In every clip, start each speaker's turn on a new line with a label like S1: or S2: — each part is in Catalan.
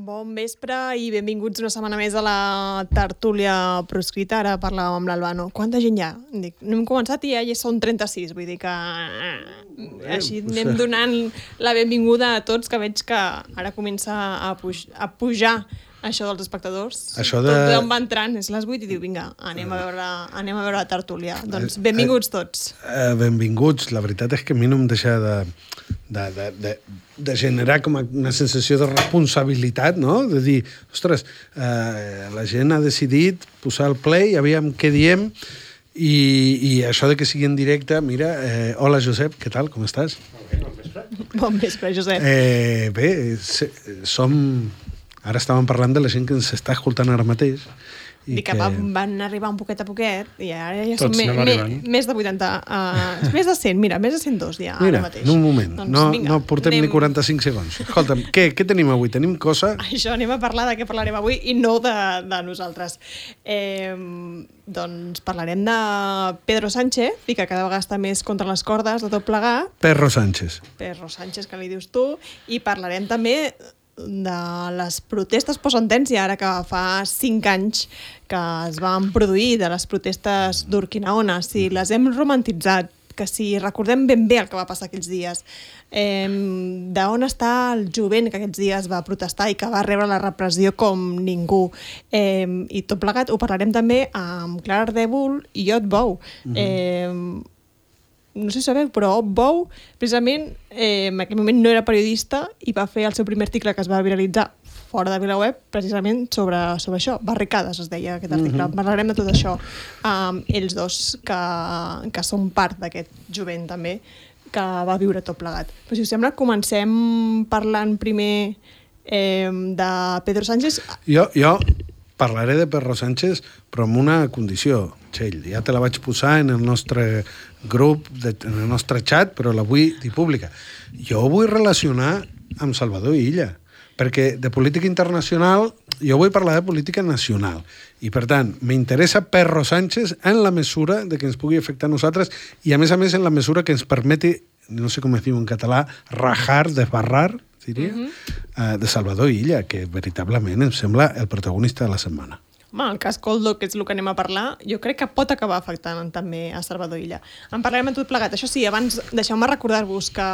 S1: Bon vespre i benvinguts una setmana més a la tertúlia proscrita. Ara parlàvem amb l'Albano. Quanta gent hi ha? Dic, no hem començat i ja són 36, vull dir que així anem donant la benvinguda a tots, que veig que ara comença a pujar això dels espectadors. Tothom va entrant, és les 8 i diu, vinga, anem a veure la tertúlia. Doncs benvinguts tots.
S2: Benvinguts. La veritat és que a mi no em deixa de generar com una sensació de responsabilitat, no? De dir, ostres, la gent ha decidit posar el play, aviam què diem, i això de que sigui en directe, mira, hola Josep, què tal, com estàs?
S1: Bon vespre, Josep.
S2: Bé, ara estàvem parlant de la gent que ens està escoltant ara mateix.
S1: Dic que van arribar un poquet a poquet i ara ja són més de 80, més de 100, mira, més de 102 ja ara mateix.
S2: En un moment, doncs, no portem ni 45 segons. Escolta'm, què tenim avui? Tenim cosa?
S1: Això, anem a parlar de què parlarem avui i no de nosaltres. Doncs parlarem de Pedro Sánchez, i que cada vegada està més contra les cordes de tot plegat.
S2: Pedro Sánchez, que li dius tu, i parlarem també de les protestes postsentència, ara que fa 5 anys que es van produir, de les protestes d'Urquinaona, si les hem romantitzat, que si recordem ben bé el que va passar aquells dies, d'on està el jovent que aquests dies va protestar i que va rebre la repressió com ningú, i tot plegat ho parlarem també amb Clara Ardèvol i Ot Bou. No sé si sabeu, però Ot Bou, precisament, en aquell moment no era periodista i va fer el seu primer article que es va viralitzar fora de VilaWeb, precisament sobre això. Barricades, es deia aquest article. Parlarem de tot això. Ells dos, que són part d'aquest jovent, també, que va viure tot plegat. Però si us sembla, comencem parlant primer de Pedro Sánchez. Jo parlaré de Pedro Sánchez, però amb una condició, Txell. Ja te la vaig posar en el nostre grup, en el nostre xat, però la vull dir pública. Jo vull relacionar amb Salvador Illa, perquè de política internacional jo vull parlar de política nacional. I, per tant, m'interessa Pedro Sánchez en la mesura de que ens pugui afectar a nosaltres i, a més, en la mesura que ens permeti, no sé com es diu en català, rajar, desbarrar, diria, de Salvador Illa, que veritablement em sembla el protagonista de la setmana.
S1: Home, el cas Koldo, que és el que anem a parlar, jo crec que pot acabar afectant també a Salvador Illa. En parlarem en tot plegat. Això sí, abans deixeu-me recordar-vos que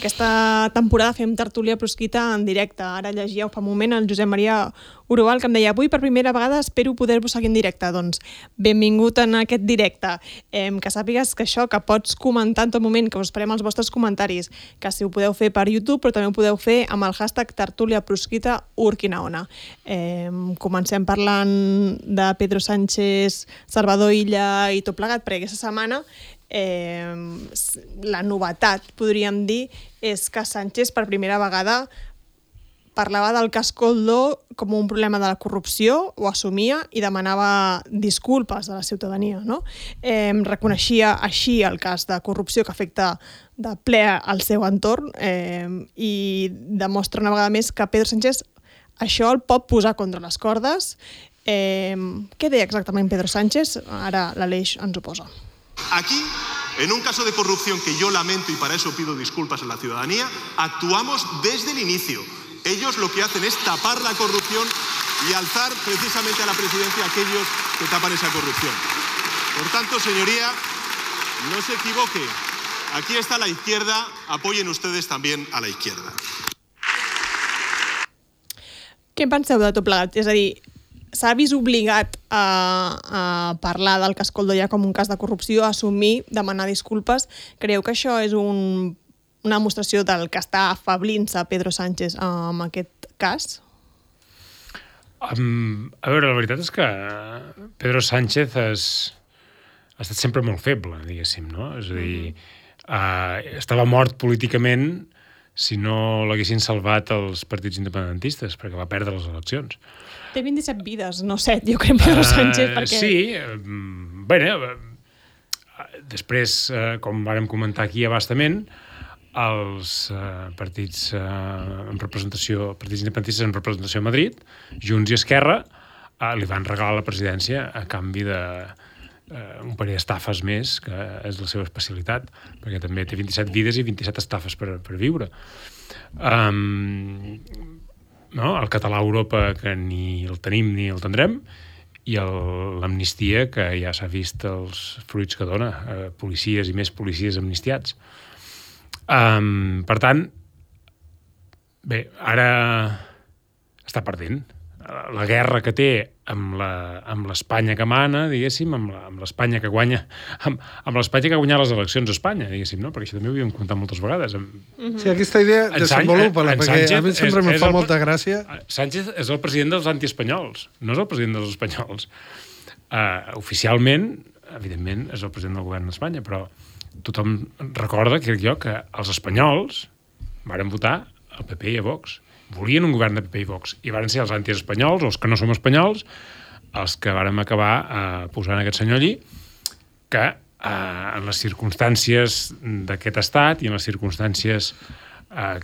S1: aquesta temporada fem tertúlia proscrita en directe. Ara llegia fa un moment el Josep Maria Urual, que em deia, avui per primera vegada espero poder-vos seguir en directe. Doncs benvingut en aquest directe. Que sàpigues que això, que pots comentar en tot moment, que us esperem els vostres comentaris, que si ho podeu fer per YouTube, però també ho podeu fer amb el hashtag tertúlia proscrita Urquinaona. Comencem parlant de Pedro Sánchez, Salvador Illa i tot plegat, perquè aquesta setmana la novetat, podríem dir, és que Sánchez per primera vegada parlava del cas Koldo com un problema de la corrupció, ho assumia i demanava disculpes a la ciutadania, no? Reconeixia així el cas de corrupció que afecta de ple al seu entorn i demostra una vegada més que Pedro Sánchez això el pot posar contra les cordes. ¿Qué deia exactament Pedro Sánchez? Ara l'Aleix ens ho posa.
S3: Aquí, en un caso de corrupción que yo lamento y para eso pido disculpas a la ciudadanía, actuamos desde el inicio. Ellos lo que hacen es tapar la corrupción y alzar precisamente a la presidencia a aquellos que tapan esa corrupción. Por tanto, señoría, no se equivoque. Aquí está la izquierda, apoyen ustedes también a la izquierda.
S1: Què en penseu de tot plegat? És a dir, s'ha vist obligat a parlar del cas Koldo ja com un cas de corrupció, a assumir, demanar disculpes. Creieu que això és una demostració del que està afablint-se Pedro Sánchez amb aquest cas?
S4: A veure, la veritat és que Pedro Sánchez ha estat sempre molt feble, diguéssim, no? És a dir, estava mort políticament si no l'haguessin salvat els partits independentistes, perquè va perdre les eleccions.
S1: Té 27 vides, no 7, jo crec, Pedro Sánchez, perquè...
S4: Sí, bé, després, com vàrem comentar aquí abastament, els partits en representació, partits independentistes en representació a Madrid, Junts i Esquerra, li van regalar la presidència a canvi de un parell d'estafes més, que és la seva especialitat, perquè també té 27 vides i 27 estafes per viure. No? El català a Europa, que ni el tenim ni el tindrem, i l'amnistia, que ja s'ha vist els fruits que dona, policies i més policies amnistiats. Per tant, bé, ara està perdent. La guerra que té amb l'Espanya que mana, diguéssim, amb l'Espanya que guanya, amb l'Espanya que ha guanyat les eleccions a Espanya, diguéssim, no? Perquè això també ho havíem comentat moltes vegades.
S5: Sí, aquesta idea desenvolupa-la, perquè a mi sempre em fa molta gràcia.
S4: Sánchez és el president dels antiespanyols, no és el president dels espanyols. Oficialment, evidentment, és el president del govern d'Espanya, però tothom recorda, crec jo, que els espanyols varen votar al PP i a Vox. Volien un govern de PP i Vox, i varen ser els antiespanyols, o els que no som espanyols, els que vàrem acabar posant aquest senyor allí, que en les circumstàncies d'aquest estat i en les circumstàncies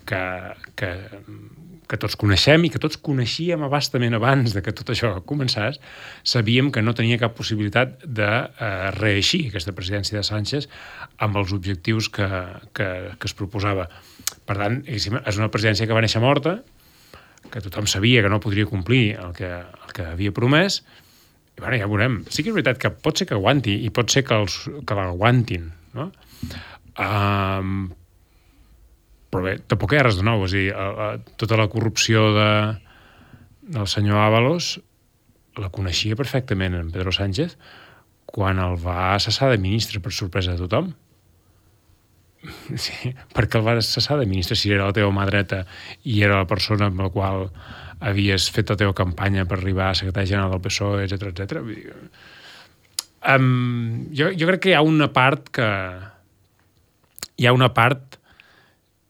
S4: que tots coneixem i que tots coneixíem abastament abans de que tot això començés, sabíem que no tenia cap possibilitat de reeixir aquesta presidència de Sánchez amb els objectius que es proposava. Per tant, és una presidència que va néixer morta, que tothom sabia que no podria complir el que havia promès, i bueno, ja veurem. Sí que és veritat que pot ser que aguanti, i pot ser que l'aguantin, no? Però bé, tampoc hi ha res de nou. És a dir, tota la corrupció del senyor Ábalos la coneixia perfectament en Pedro Sánchez quan el va cessar de ministre, per sorpresa de tothom. Sí, perquè el vas cessar de ministre si era la teva mà dreta i era la persona amb la qual havies fet la teva campanya per arribar a secretari general del PSOE, etc. Jo crec que hi ha una part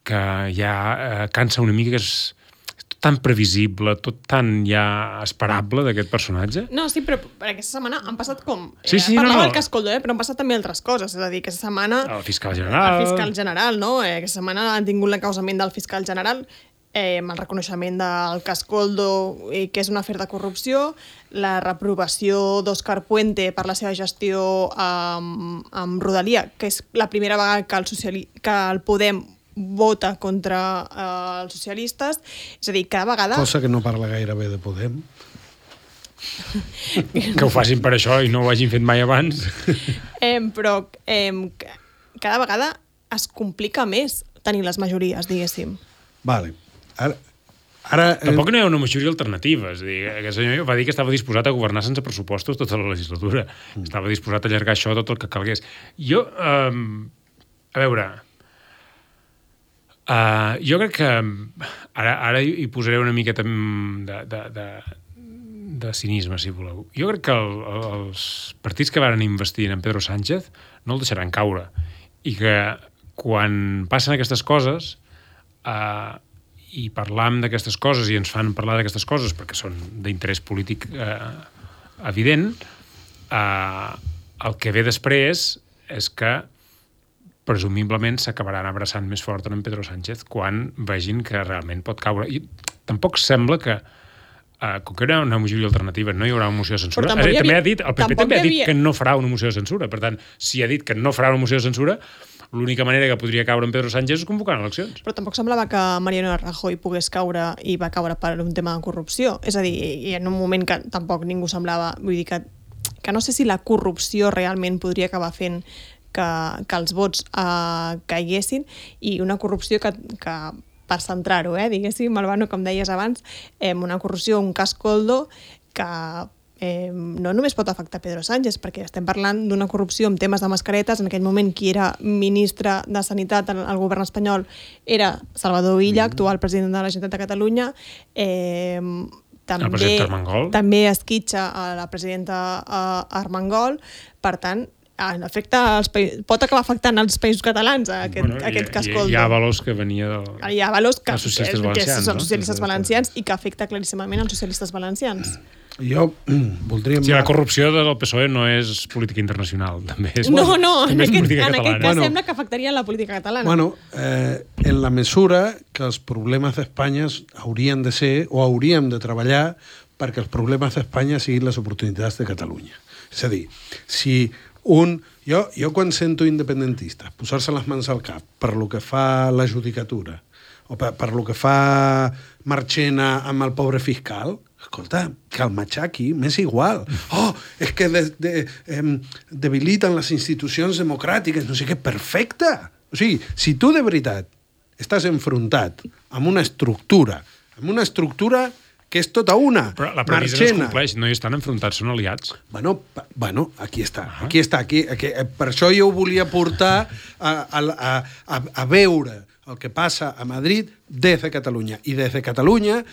S4: que ja cansa una mica, que és tan previsible, tot tan ja esperable d'aquest personatge.
S1: No, sí, però aquesta setmana han passat com...
S4: Parlava
S1: del Cascoldo, però han passat també altres coses. És a dir, aquesta setmana...
S4: El fiscal general.
S1: No? Aquesta setmana han tingut l'encausament del fiscal general amb el reconeixement del Cascoldo, que és un afer de corrupció, la reprovació d'Òscar Puente per la seva gestió amb Rodalia, que és la primera vegada que el Podem vota contra els socialistes. És a dir, cada vegada...
S5: Cosa que no parla gaire bé de Podem.
S4: Que ho facin per això i no ho hagin fet mai abans.
S1: Però cada vegada es complica més tenir les majories, diguéssim.
S5: Vale. Ara,
S4: tampoc no hi ha una majoria alternativa. És a dir, aquest senyor va dir que estava disposat a governar sense pressupostos tota la legislatura. Estava disposat a allargar això tot el que calgués. Jo, a veure... jo crec que ara hi posaré una miqueta de cinisme, si voleu. Jo crec que els partits que van investir en Pedro Sánchez no el deixaran caure, i que quan passen aquestes coses i parlam d'aquestes coses i ens fan parlar d'aquestes coses perquè són d'interès polític evident, el que ve després és que presumiblement s'acabaran abraçant més fort en Pedro Sánchez quan vegin que realment pot caure. I tampoc sembla que, com que hi haurà una majoria alternativa, no hi haurà una moció de censura. El PP també ha dit que no farà una moció de censura. Per tant, si ha dit que no farà una moció de censura, l'única manera que podria caure en Pedro Sánchez és convocant eleccions.
S1: Però tampoc semblava que Mariano Rajoy pogués caure i va caure per un tema de corrupció. És a dir, i en un moment que tampoc ningú semblava... Vull dir que no sé si la corrupció realment podria acabar fent que els vots caiguessin, i una corrupció que per centrar-ho, diguéssim, Albano, com deies abans, una corrupció, un Cascoldo que no només pot afectar Pedro Sánchez, perquè estem parlant d'una corrupció amb temes de mascaretes. En aquell moment qui era ministre de Sanitat al govern espanyol era Salvador Illa, actual president de la Generalitat de Catalunya. També esquitxa a la presidenta Armengol. Per tant, en efecte, pot acabar afectant els països catalans aquest Cascoldo.
S4: Hi ha Ábalos que venia dels socialistes valencians,
S1: socialistes valencians, i que afecta claríssimament els socialistes valencians.
S5: Jo voldria...
S4: Sí, la corrupció del PSOE no és política internacional, també és,
S1: No,
S4: també és política
S1: en
S4: catalana.
S1: aquest cas sembla que afectaria la política catalana.
S5: Bueno, en la mesura que els problemes d'Espanya haurien de ser, o hauríem de treballar perquè els problemes d'Espanya siguin les oportunitats de Catalunya. És a dir, si jo quan sento independentistes posar-se les mans al cap per lo que fa la judicatura o per lo que fa Marchena amb el pobre fiscal, escolta, que el matxaqui m'és igual. Oh, és que debiliten les institucions democràtiques, no sé què, perfecte. O sigui, si tu de veritat estàs enfrontat amb una estructura que és tota una.
S4: Però la premissa no es compleix, no hi estan enfrontats, són aliats.
S5: Bueno, aquí està. Aquí, per això jo ho volia portar a veure el que passa a Madrid des de Catalunya. I des de Catalunya,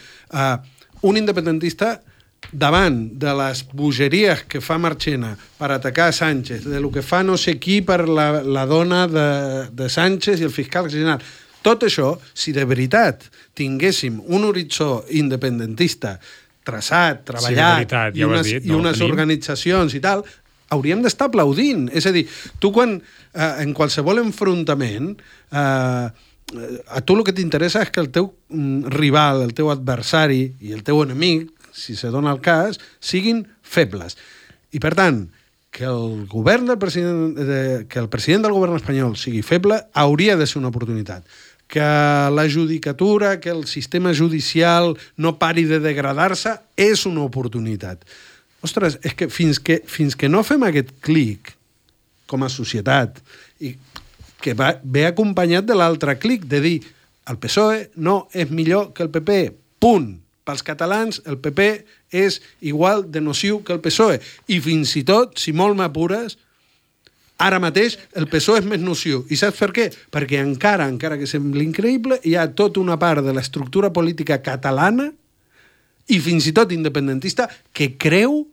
S5: un independentista davant de les bogeries que fa Marchena per atacar Sánchez, de lo que fa no sé qui per la dona de Sánchez i el fiscal general, tot això, si de veritat tinguéssim un horitzó independentista traçat, treballat, i unes organitzacions i tal, hauríem d'estar aplaudint. És a dir, tu quan, en qualsevol enfrontament, a tu el que t'interessa és que el teu rival, el teu adversari i el teu enemic, si se dona el cas, siguin febles. I, per tant, que el president del govern espanyol sigui feble hauria de ser una oportunitat. Que la judicatura, que el sistema judicial no pari de degradar-se és una oportunitat. Ostres, és que fins que no fem aquest clic com a societat i que ve acompanyat de l'altre clic de dir el PSOE no és millor que el PP, punt. Pels catalans el PP és igual de nociu que el PSOE i fins i tot, si molt m'apures, ara mateix el PSOE és més nociu. I saps per què? Perquè encara que sembli increïble, hi ha tota una part de l'estructura política catalana i fins i tot independentista que creu,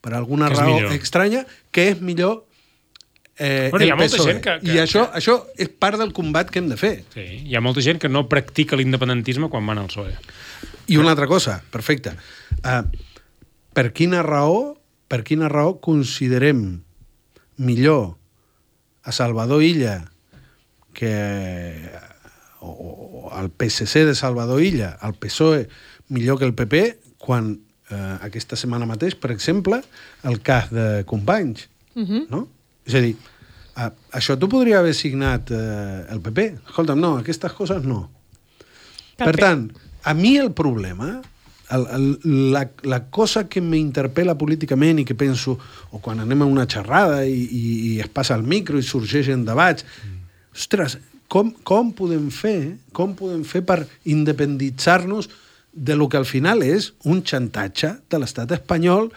S5: per alguna raó estranya, que és millor el PSOE. I això és part del combat que hem de fer.
S4: Sí, hi ha molta gent que no practica l'independentisme quan van al PSOE.
S5: I una altra cosa, perfecte. Per quina raó considerem millor a Salvador Illa o al PSC de Salvador Illa, al PSOE millor que el PP, quan aquesta setmana mateix, per exemple, el cas de Companys, no? És a dir, això t'ho podria haver signat el PP. Escolta'm, no, aquestes coses no. Per tant, a mi el problema, la cosa que m'interpel·la políticament i que penso, o quan anem a una xerrada i es passa el micro i sorgeixen debats, ostres, com podem fer per independitzar-nos de lo que al final és un xantatge de l'estat espanyol?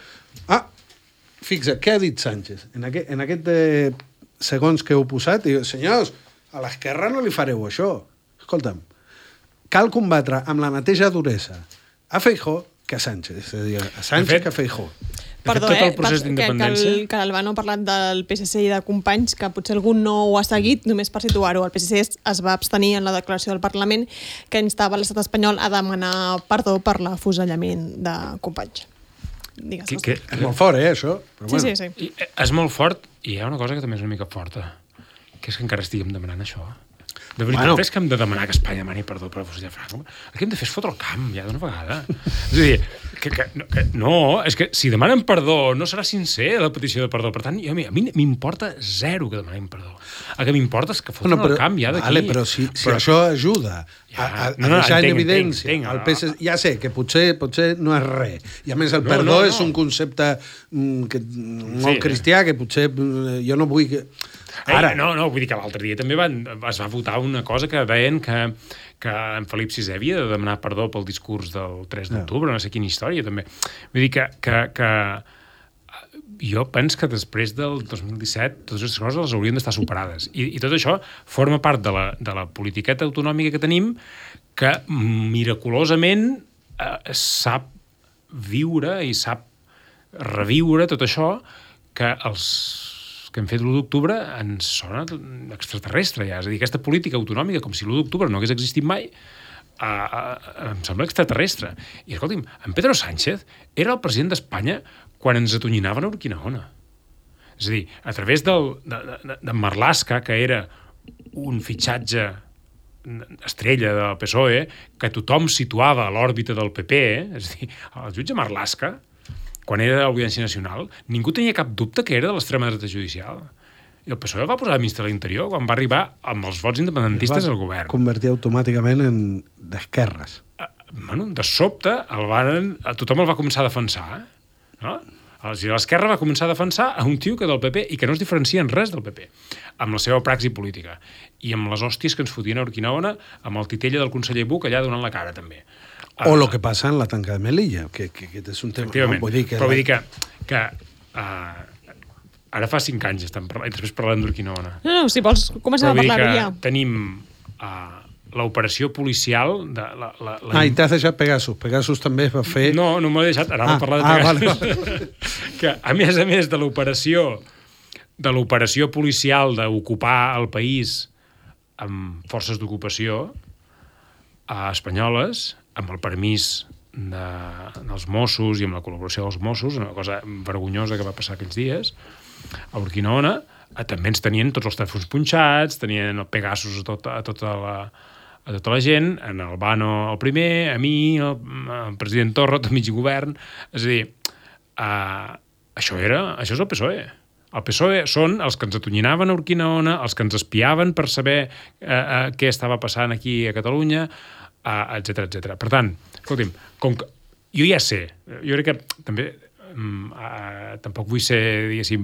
S5: Fixa't, què ha dit Sánchez? En aquest segons que heu posat, diu, senyors, a l'esquerra no li fareu això. Escolta'm, cal combatre amb la mateixa duresa a Feijóo que a Sánchez. És a dir, a Sánchez que a Feijóo.
S1: Perdó,
S4: tot el procés d'independència...
S1: que l'Albano ha parlat del PSC i de Companys, que potser algú no ho ha seguit, només per situar-ho. El PSC es va abstenir en la declaració del Parlament que instava l'estat espanyol a demanar perdó per l'afusellament de Companys.
S5: És molt fort, això? Però bueno.
S1: Sí.
S4: És molt fort, i hi ha una cosa que també és una mica forta, que és que encara estiguem demanant això. De veritat, és que hem de demanar que Espanya demani perdó per afusellar Franco? El que hem de fer és fotre el camp, ja d'una vegada. És a dir, és que si demanen perdó no serà sincer la petició de perdó. Per tant, a mi m'importa zero que demanem perdó. El que m'importa és que fotren el camp ja d'aquí.
S5: Vale, però si això ajuda a deixar en evidència el PSC, ja sé que potser no és res. I a més el perdó és un concepte molt cristià que potser jo no vull que...
S4: Ara. Vull dir que l'altre dia també es va votar una cosa que deien que en Felip VI havia de demanar perdó pel discurs del 3 d'octubre, no sé quina història també. Vull dir que jo penso que després del 2017 totes aquestes coses les haurien d'estar superades. I tot això forma part de la politiqueta autonòmica que tenim que miraculosament sap viure i sap reviure tot això que els que hem fet l'1 d'octubre ens sona extraterrestre ja. És a dir, aquesta política autonòmica, com si l'1 d'octubre no hagués existit mai, em sembla extraterrestre. I, escolti'm, en Pedro Sánchez era el president d'Espanya quan ens atonyinaven a Urquinaona. És a dir, a través de Marlaska, que era un fitxatge estrella del PSOE, que tothom situava a l'òrbita del PP, és a dir, el jutge Marlaska, quan era de l'Audiència Nacional, ningú tenia cap dubte que era de l'extrema dreta judicial. I el PSOE va posar a ministre de l'Interior quan va arribar amb els vots independentistes al govern.
S5: Convertir automàticament en d'esquerres.
S4: Bueno, de sobte, tothom el va començar a defensar. No? L'esquerra va començar a defensar a un tio que del PP i que no es diferencia en res del PP, amb la seva praxi política. I amb les hòsties que ens fotien a Urquinaona, amb el titella del conseller Buch allà donant la cara, també.
S5: O el que passa en la tanca de Melilla, que és un tema...
S4: Efectivament, però vull dir que ara fa 5 anys estem parlant, i després parlem d'Urquinaona.
S1: No, si vols, comencem a parlar-ho ja.
S4: Tenim l'operació policial...
S5: I t'has deixat Pegasus. Pegasus també es va fer...
S4: No m'ho he deixat, ara vam parlar de Pegasus. Vale. Que, a més de l'operació policial d'ocupar el país amb forces d'ocupació espanyoles, amb el permís dels Mossos i amb la col·laboració dels Mossos, una cosa vergonyosa que va passar aquells dies, a Urquinaona, també ens tenien tots els telèfons punxats, tenien el Pegasus a tota la gent, en Albano el primer, a mi, el president Torra, el mig govern. És a dir, això és el PSOE. El PSOE són els que ens atonyinaven a Urquinaona, els que ens espiaven per saber què estava passant aquí a Catalunya, etc etc. Per tant, escolti'm, com que jo ja sé, jo crec que també tampoc vull ser, diguéssim,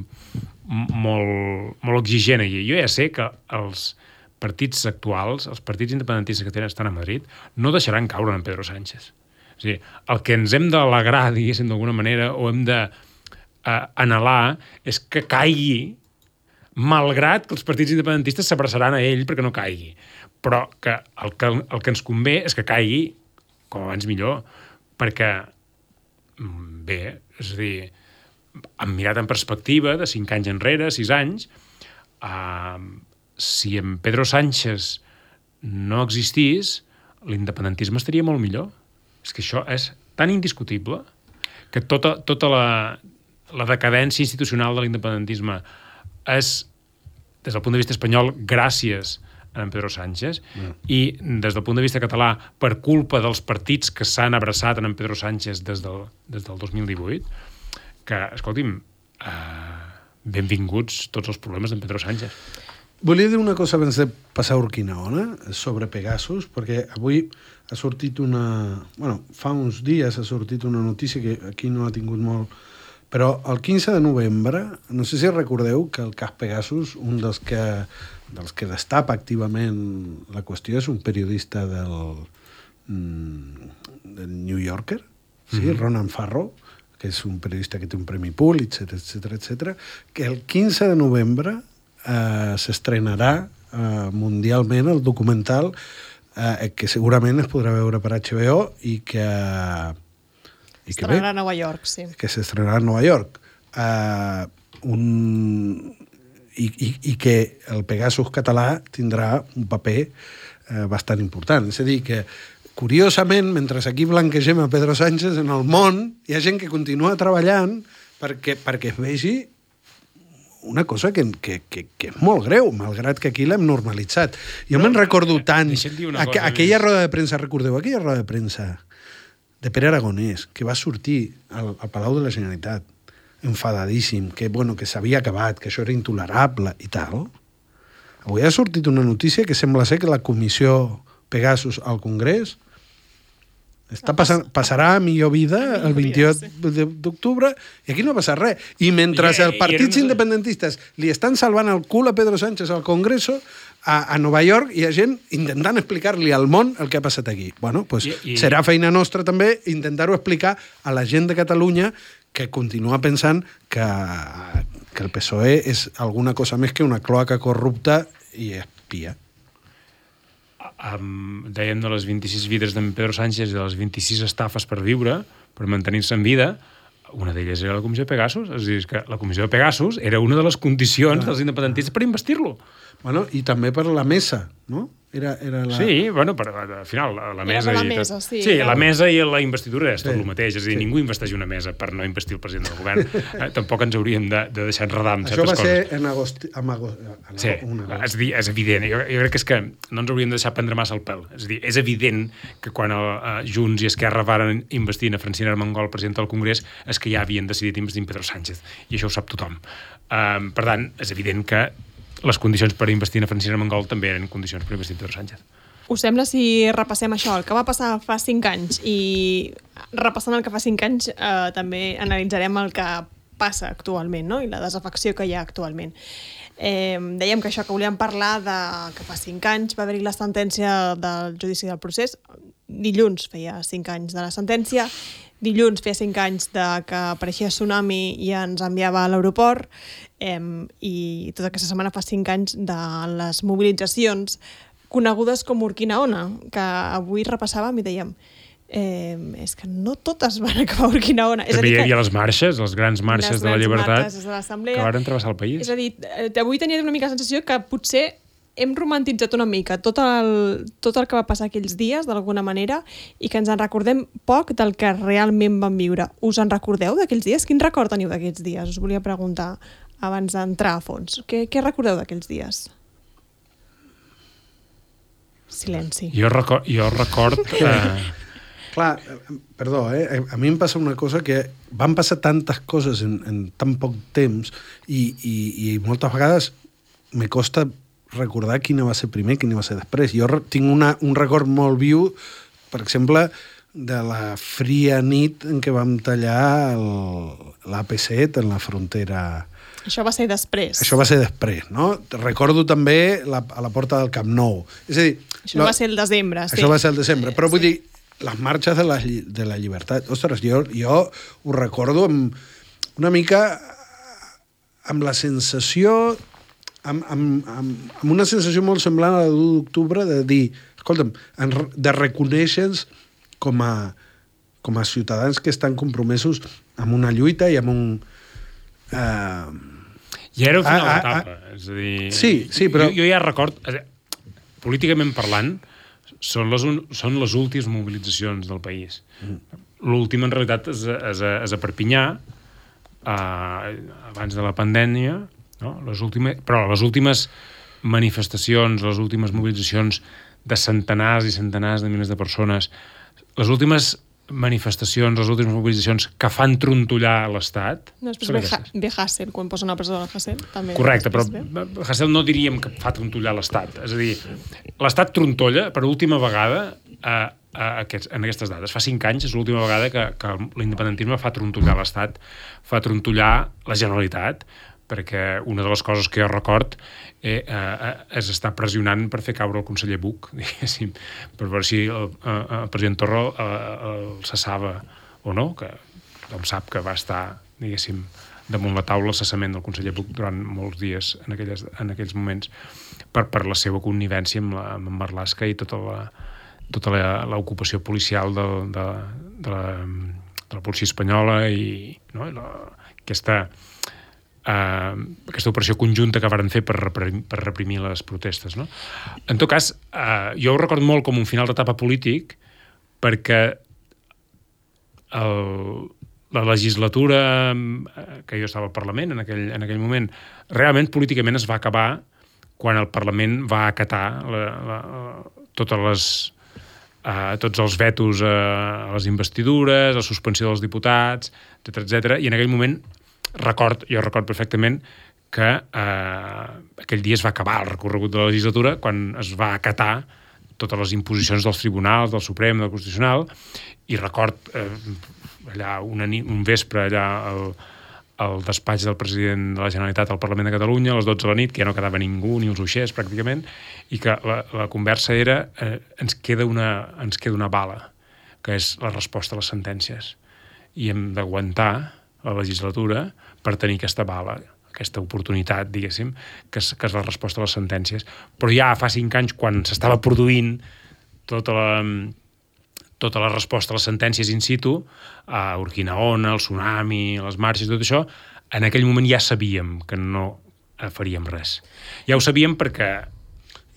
S4: molt exigent aquí. Jo ja sé que els partits actuals, els partits independentistes que estan a Madrid, no deixaran caure en Pedro Sánchez. És a dir, el que ens hem d'alegrar, diguéssim, d'alguna manera, o hem d'anhelar, és que caigui, malgrat que els partits independentistes s'abraçaran a ell perquè no caigui. Però que el que ens convé és que caigui com abans millor, perquè bé, és a dir, hem mirat en perspectiva de 5 anys enrere, 6 anys, si en Pedro Sánchez no existís, l'independentisme estaria molt millor. És que això és tan indiscutible que tota la decadència institucional de l'independentisme és, des del punt de vista espanyol, gràcies a en Pedro Sánchez, i des del punt de vista català, per culpa dels partits que s'han abraçat en Pedro Sánchez des del 2018, que, escolti'm, benvinguts tots els problemes d'en Pedro Sánchez.
S5: Volia dir una cosa abans de passar a Urquinaona sobre Pegasus, perquè avui ha sortit fa uns dies ha sortit una notícia que aquí no ha tingut molt, però el 15 de novembre, no sé si recordeu que el cas Pegasus, un dels que destapa activament la qüestió és un periodista del New Yorker, sí? Ronan Farrow, que és un periodista que té un premi Pulitzer, etc, que el 15 de novembre s'estrenarà mundialment el documental que segurament es podrà veure per HBO i que
S1: s'estrenarà a Nova York, sí.
S5: Que s'estrenarà a Nova York. I que el Pegasus català tindrà un paper bastant important. És a dir, que curiosament, mentre aquí blanquegem a Pedro Sánchez, en el món hi ha gent que continua treballant perquè es vegi una cosa que és molt greu, malgrat que aquí l'hem normalitzat. Jo me'n recordo tant... Aquella roda de premsa, recordeu aquella roda de premsa de Pere Aragonès, que va sortir al Palau de la Generalitat, enfadadíssim, que s'havia acabat, que això era intolerable i tal. Avui ha sortit una notícia que sembla ser que la comissió Pegasus al Congrés passarà a millor vida el 28 d'octubre i aquí no passa res. I mentre els partits independentistes li estan salvant el cul a Pedro Sánchez al Congreso, a Nova York hi ha gent intentant explicar-li al món el que ha passat aquí. Serà feina nostra també intentar-ho explicar a la gent de Catalunya que continua pensant que el PSOE és alguna cosa més que una cloaca corrupta i espia.
S4: Dèiem de les 26 vides d'en Pedro Sánchez i de les 26 estafes per viure, per mantenir-se en vida, una d'elles era la comissió de Pegasus. És a dir, que la comissió de Pegasus era una de les condicions dels independentistes per investir-lo.
S5: I també per la mesa, no? Era la...
S4: Sí, bueno, però al final la mesa...
S1: la mesa, sí.
S4: Sí, la mesa i la investidura és tot
S5: Sí.
S4: el mateix. És a dir, ningú investeix una mesa per no investir el president del govern. Tampoc ens hauríem de deixar enredar amb
S5: Això va
S4: certes
S5: ser
S4: coses.
S5: en agost...
S4: Sí, és a dir, és evident. Jo crec que és que no ens hauríem de deixar prendre massa el pèl. És a dir, és evident que quan Junts i Esquerra varen investir a Francina Armengol, presidenta del Congrés, és que ja havien decidit investir en Pedro Sánchez. I això ho sap tothom. Per tant, és evident que les condicions per investir en Francina Armengol també eren condicions per investir en Pedro Sánchez.
S1: Us sembla si repassem això, el que va passar fa 5 anys, i repassant el que fa 5 anys també analitzarem el que passa actualment, no? I la desafecció que hi ha actualment. Dèiem que això, que volíem parlar de que fa 5 anys va haver-hi la sentència del judici del procés. Dilluns feia 5 anys de la sentència, dilluns feia 5 anys de que apareixia Tsunami i ens enviava a l'aeroport, i tota aquesta setmana fa 5 anys de les mobilitzacions conegudes com Urquinaona, que avui repassàvem i dèiem és que no totes van acabar a Urquinaona.
S4: També hi havia les marxes, les grans marxes de la llibertat que van travessar el país.
S1: És a dir, avui tenia una mica la sensació que potser hem romantitzat una mica tot el que va passar aquells dies, d'alguna manera, i que ens en recordem poc del que realment vam viure. Us en recordeu d'aquells dies? Quin record teniu d'aquells dies? Us volia preguntar abans d'entrar a fons. Què recordeu d'aquells dies? Silenci.
S4: Jo record...
S5: Clar, perdó, a mi em passa una cosa que van passar tantes coses en tan poc temps i moltes vegades me costa recordar quina va ser primer, quina va ser després. Jo tinc un record molt viu, per exemple, de la fria nit en què vam tallar l'AP7 en la frontera.
S1: Això va ser després.
S5: Això va ser després, no? Recordo també a la porta del Camp Nou. És a dir...
S1: Això va ser el desembre, sí.
S5: Això va ser el desembre, però vull dir, les marxes de la llibertat. Ostres, jo ho recordo una mica amb la sensació... amb una sensació molt semblant a la d'1 d'octubre de dir, escolta'm, de reconèixer-nos com a ciutadans que estan compromesos amb una lluita i amb un...
S4: Ja era el final d'etapa. És a dir...
S5: Sí, però...
S4: Jo ja record, políticament parlant, són les últimes mobilitzacions del país. L'última, en realitat, és a Perpinyà, abans de la pandèmia, no? Però les últimes manifestacions, les últimes mobilitzacions de centenars i centenars de milers de persones, les últimes manifestacions, les últimes mobilitzacions que fan trontollar l'Estat...
S1: No, després ve Hassel, quan posen a la presó de Hassel. També.
S4: Correcte, però Hassel no diríem que fa trontollar l'Estat. És a dir, l'Estat trontolla per última vegada en aquestes dates. Fa 5 anys és l'última vegada que l'independentisme fa trontollar l'Estat, fa trontollar la Generalitat, perquè una de les coses que jo record és estar pressionant per fer caure el conseller Buch, diguéssim, per veure si el president Torra el cessava o no, que tothom sap que va estar, diguéssim, damunt la taula el cessament del conseller Buch durant molts dies en aquells moments per la seva connivència amb Marlaska i tota l'ocupació policial de la policia espanyola i aquesta operació conjunta que varen fer per reprimir les protestes. No? En tot cas, jo ho recordo molt com un final d'etapa polític perquè la legislatura que jo estava al Parlament en aquell moment, realment políticament es va acabar quan el Parlament va acatar tots els vetos a les investidures, a la suspensió dels diputats, etc. I en aquell moment jo record perfectament que aquell dia es va acabar el recorregut de la legislatura quan es va acatar totes les imposicions dels tribunals, del Suprem, del Constitucional, i record allà un vespre allà al despatx del president de la Generalitat al Parlament de Catalunya a les 12 de la nit, que ja no quedava ningú, ni els uixers pràcticament, i que la conversa era ens queda una bala, que és la resposta a les sentències. I hem d'aguantar la legislatura per tenir aquesta bala, aquesta oportunitat, diguéssim, que és la resposta a les sentències. Però ja fa 5 anys, quan s'estava produint tota la resposta a les sentències in situ, a Urquinaona, el Tsunami, les marxes, tot això, en aquell moment ja sabíem que no faríem res. Ja ho sabíem perquè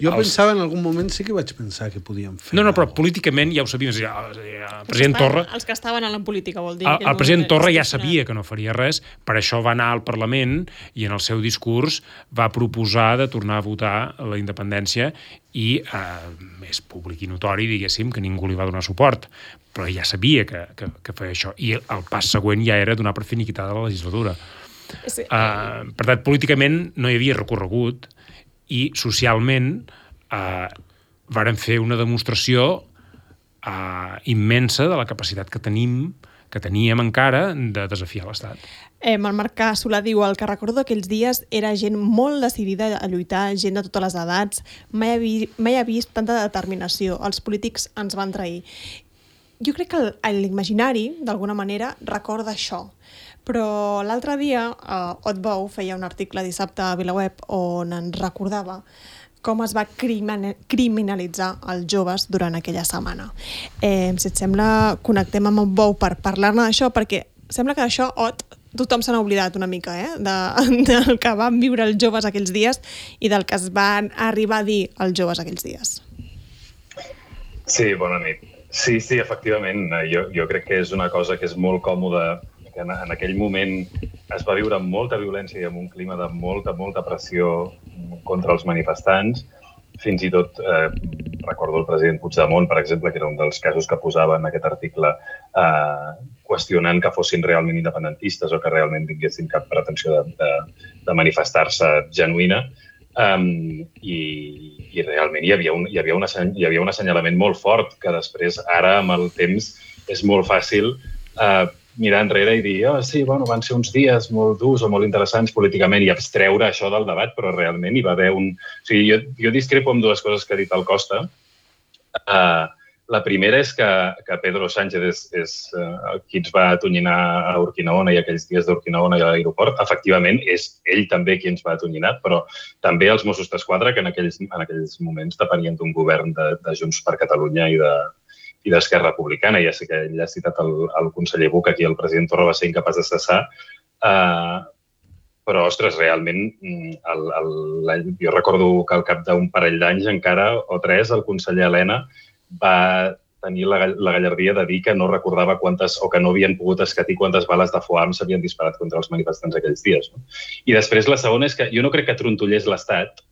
S5: Jo pensava, en algun moment, sí que vaig pensar que podíem fer...
S4: No, però políticament ja ho sabíem. El president Torra...
S1: Els que estaven a la política, vol dir.
S4: El president Torra ja sabia que no faria res, per això va anar al Parlament i en el seu discurs va proposar de tornar a votar la independència i és públic i notori, diguéssim, que ningú li va donar suport, però ja sabia que feia això. I el pas següent ja era donar per finiquitada la legislatura.
S1: Sí.
S4: Per tant, políticament no hi havia recorregut i socialment varen fer una demostració immensa de la capacitat que teníem encara de desafiar l'Estat.
S1: El Marc Solà diu: el que recordo d'aquells dies era gent molt decidida a lluitar, gent de totes les edats. Mai he vist tanta determinació. Els polítics ens van trair. Jo crec que l'imaginari, d'alguna manera, recorda això. Però l'altre dia, Otbou feia un article dissabte a VilaWeb on ens recordava com es va criminalitzar els joves durant aquella setmana. Si et sembla, connectem amb Otbou per parlar-ne d'això, perquè sembla que d'això, tothom se n'ha oblidat una mica, del que van viure els joves aquells dies i del que es van arribar a dir els joves aquells dies.
S6: Sí, bona nit. Sí, efectivament. Jo crec que és una cosa que és molt còmoda, que en aquell moment es va viure amb molta violència i amb un clima de molta pressió contra els manifestants. Fins i tot recordo el president Puigdemont, per exemple, que era un dels casos que posava en aquest article, qüestionant que fossin realment independentistes o que realment tinguessin cap pretensió de manifestar-se genuïna. I realment hi havia un assenyalament molt fort que després, ara, amb el temps, és molt fàcil mirar enrere i dir sí, van ser uns dies molt durs o molt interessants políticament i abstreure això del debat, però realment hi va haver un... O sigui, jo discrepo amb dues coses que ha dit el Costa. La primera és que Pedro Sánchez és qui ens va atonyinar a Urquinaona i aquells dies d'Urquinaona i a l'aeroport. Efectivament, és ell també qui ens va atonyinar, però també els Mossos d'Esquadra, que en aquells moments depenien d'un govern de Junts per Catalunya i d'Esquerra Republicana. Ja sé que ell ha citat el conseller Buch, aquí el president Torra va ser incapaç de cessar, però, ostres, realment, jo recordo que al cap d'un parell d'anys encara, o tres, el conseller Elena va tenir la gallardia de dir que no recordava que no havien pogut escatir quantes bales de foam s'havien disparat contra els manifestants aquells dies. I després la segona és que jo no crec que trontollés l'Estat,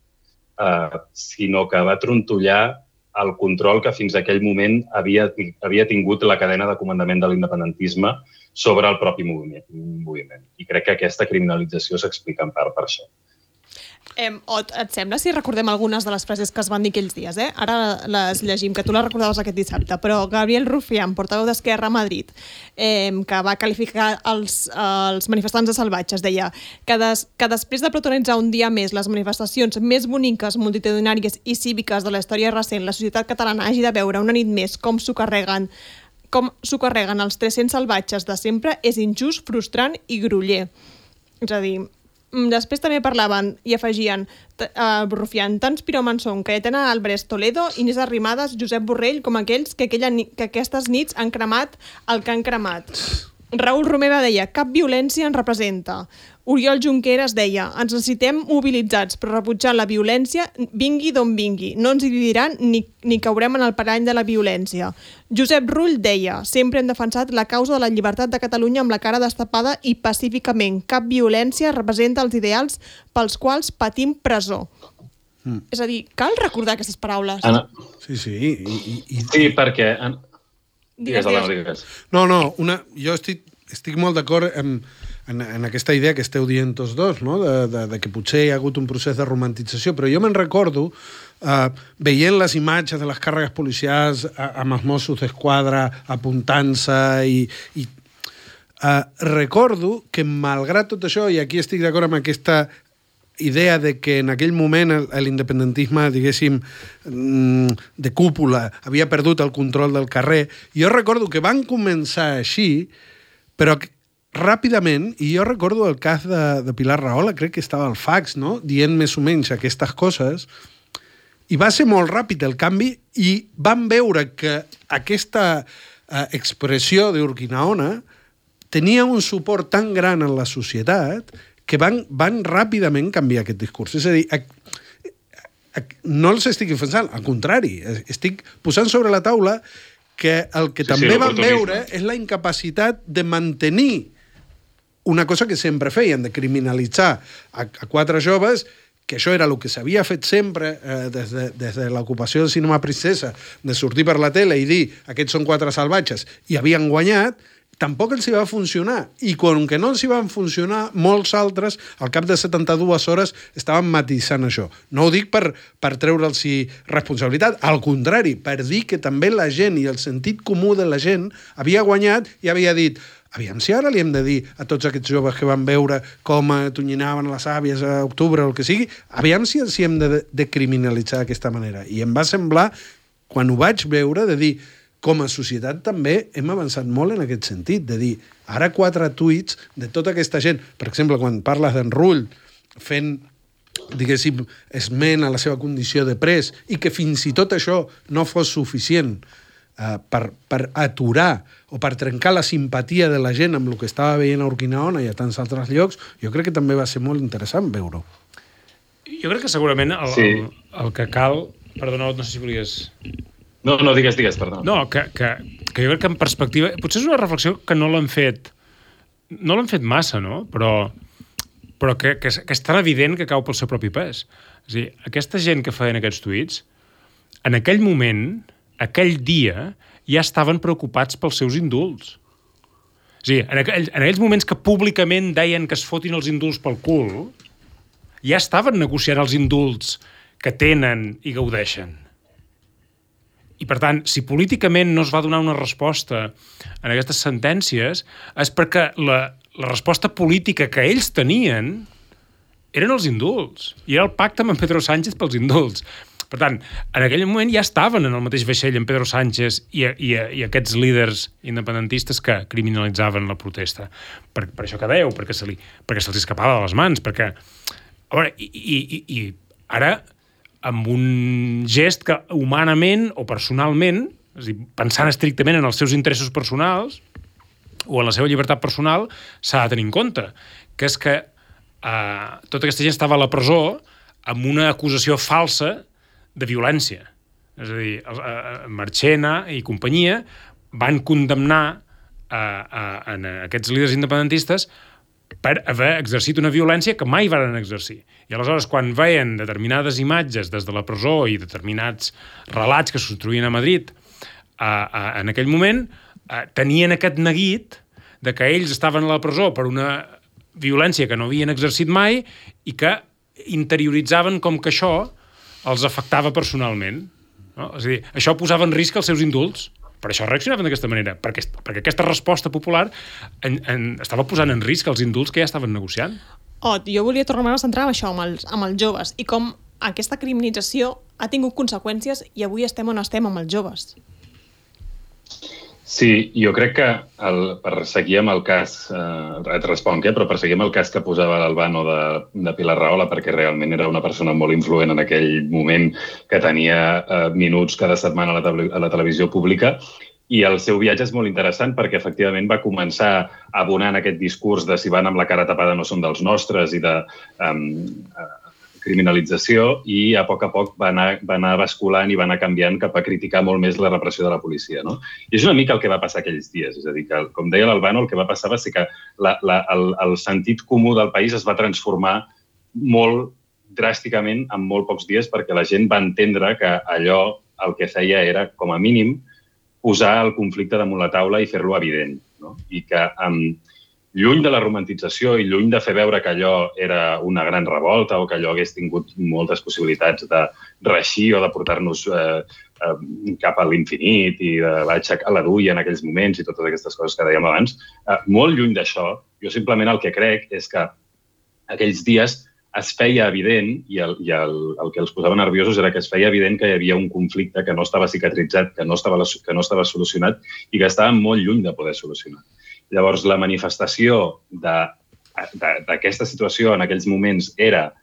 S6: sinó que va trontollar el control que fins a aquell moment havia tingut la cadena de comandament de l'independentisme sobre el propi moviment. I crec que aquesta criminalització s'explica en part per això.
S1: Et sembla si recordem algunes de les frases que es van dir aquells dies? Ara les llegim, que tu les recordaves aquest dissabte, però Gabriel Rufián, portaveu d'Esquerra a Madrid, que va qualificar els manifestants de salvatges, deia que després de protagonitzar un dia més les manifestacions més boniques, multitudinàries i cíviques de la història recent, la societat catalana hagi de veure una nit més com s'ho carreguen els 300 salvatges de sempre, és injust, frustrant i groller. És a dir, després també parlaven i afegien Rufián, tants piròmans són Cayetana Álvarez Toledo, Inés Arrimadas, Josep Borrell, com aquells que aquestes nits han cremat el que han cremat. Raül Romeva deia, cap violència ens representa. Oriol Junqueras deia, ens necessitem mobilitzats, però rebutjant la violència, vingui d'on vingui. No ens dividiran ni caurem en el parany de la violència. Josep Rull deia, sempre hem defensat la causa de la llibertat de Catalunya amb la cara destapada i pacíficament. Cap violència representa els ideals pels quals patim presó. És a dir, cal recordar aquestes paraules.
S6: Anna.
S5: Sí.
S6: Sí, perquè... Digues.
S5: No, jo estic molt d'acord en aquesta idea que esteu dient tots dos, no? de que potser hi ha hagut un procés de romantització, però jo me'n recordo, veient les imatges de les càrregues policials amb els Mossos d'Esquadra apuntant-se i recordo que malgrat tot això, i aquí estic d'acord amb aquesta idea de que en aquell moment l'independentisme, diguéssim, de cúpula, havia perdut el control del carrer. Jo recordo que van començar així, però ràpidament, i jo recordo el cas de Pilar Rahola, crec que estava al fax, no?, dient més o menys aquestes coses, i va ser molt ràpid el canvi, i van veure que aquesta expressió d'Urquinaona tenia un suport tan gran en la societat que van ràpidament canviar aquest discurs. És a dir, no els estic defensant, al contrari, estic posant sobre la taula que el que també van veure és la incapacitat de mantenir una cosa que sempre feien, de criminalitzar a 4 joves, que això era el que s'havia fet sempre des de l'ocupació del cinema Princesa, de sortir per la tele i dir aquests són 4 salvatges, i havien guanyat, tampoc els hi va funcionar. I com que no els hi van funcionar, molts altres, al cap de 72 hores, estaven matisant això. No ho dic per treure'ls responsabilitat, al contrari, per dir que també la gent i el sentit comú de la gent havia guanyat i havia dit aviam si ara li hem de dir a tots aquests joves que van veure com tonyinaven les àvies a octubre o el que sigui, aviam si els hem de criminalitzar d'aquesta manera. I em va semblar, quan ho vaig veure, de dir com a societat també hem avançat molt en aquest sentit, de dir, ara 4 tuits de tota aquesta gent, per exemple, quan parles d'en Rull fent, diguéssim, esment a la seva condició de pres, i que fins i tot això no fos suficient per aturar o per trencar la simpatia de la gent amb el que estava veient a Urquinaona i a tants altres llocs, jo crec que també va ser molt interessant veure-ho.
S4: Jo crec que segurament el que cal... Perdona, no sé si volies...
S6: No, digues, perdó.
S4: No, que jo crec que en perspectiva... Potser és una reflexió que no l'han fet massa, no? Però que és tan evident que cau pel seu propi pes. És a dir, aquesta gent que feien aquests tuits, en aquell moment, aquell dia, ja estaven preocupats pels seus indults. És a dir, en aquells moments que públicament deien que es fotin els indults pel cul, ja estaven negociant els indults que tenen i gaudeixen. I, per tant, si políticament no es va donar una resposta en aquestes sentències, és perquè la resposta política que ells tenien eren els indults. I era el pacte amb en Pedro Sánchez pels indults. Per tant, en aquell moment ja estaven en el mateix vaixell en Pedro Sánchez i aquests líders independentistes que criminalitzaven la protesta. Per això que dèieu, perquè se'ls escapava de les mans, perquè... A veure, i ara, amb un gest que humanament o personalment, és a dir, pensant estrictament en els seus interessos personals o en la seva llibertat personal, s'ha de tenir en compte, que és que tota aquesta gent estava a la presó amb una acusació falsa de violència. És a dir, Marchena i companyia van condemnar a aquests líders independentistes per haver exercit una violència que mai van exercir. I aleshores, quan veien determinades imatges des de la presó i determinats relats que es construïen a Madrid en aquell moment, tenien aquest neguit de que ells estaven a la presó per una violència que no havien exercit mai i que interioritzaven com que això els afectava personalment. No? És a dir, això posava en risc els seus indults. Per això reaccionaven d'aquesta manera, perquè aquesta resposta popular estava posant en risc els indults que ja estaven negociant.
S1: Jo volia tornar a centrar en això, amb els joves, i com aquesta criminalització ha tingut conseqüències i avui estem on estem amb els joves.
S6: Sí, jo crec que per seguir amb el cas, et responc, però per seguir amb el cas que posava l'Albano de Pilar Rahola, perquè realment era una persona molt influent en aquell moment, que tenia minuts cada setmana a la televisió pública, i el seu viatge és molt interessant perquè efectivament va començar abonant aquest discurs de si van amb la cara tapada no són dels nostres i de criminalització, i a poc va anar basculant i va anar canviant cap a criticar molt més la repressió de la policia. No? I és una mica el que va passar aquells dies. És a dir, que, com deia l'Albano, el que va passar va ser que el sentit comú del país es va transformar molt dràsticament en molt pocs dies, perquè la gent va entendre que allò el que feia era, com a mínim, posar el conflicte damunt la taula i fer-lo evident. No? I que lluny de la romantització i lluny de fer veure que allò era una gran revolta o que allò hagués tingut moltes possibilitats de reeixir o de portar-nos cap a l'infinit i de aixecar la duia en aquells moments i totes aquestes coses que dèiem abans, molt lluny d'això, jo simplement el que crec és que aquells dies es feia evident, i el que els posava nerviosos era que es feia evident que hi havia un conflicte que no estava cicatritzat, que no estava solucionat i que estava molt lluny de poder solucionar. Llavors, la manifestació d'aquesta situació en aquells moments era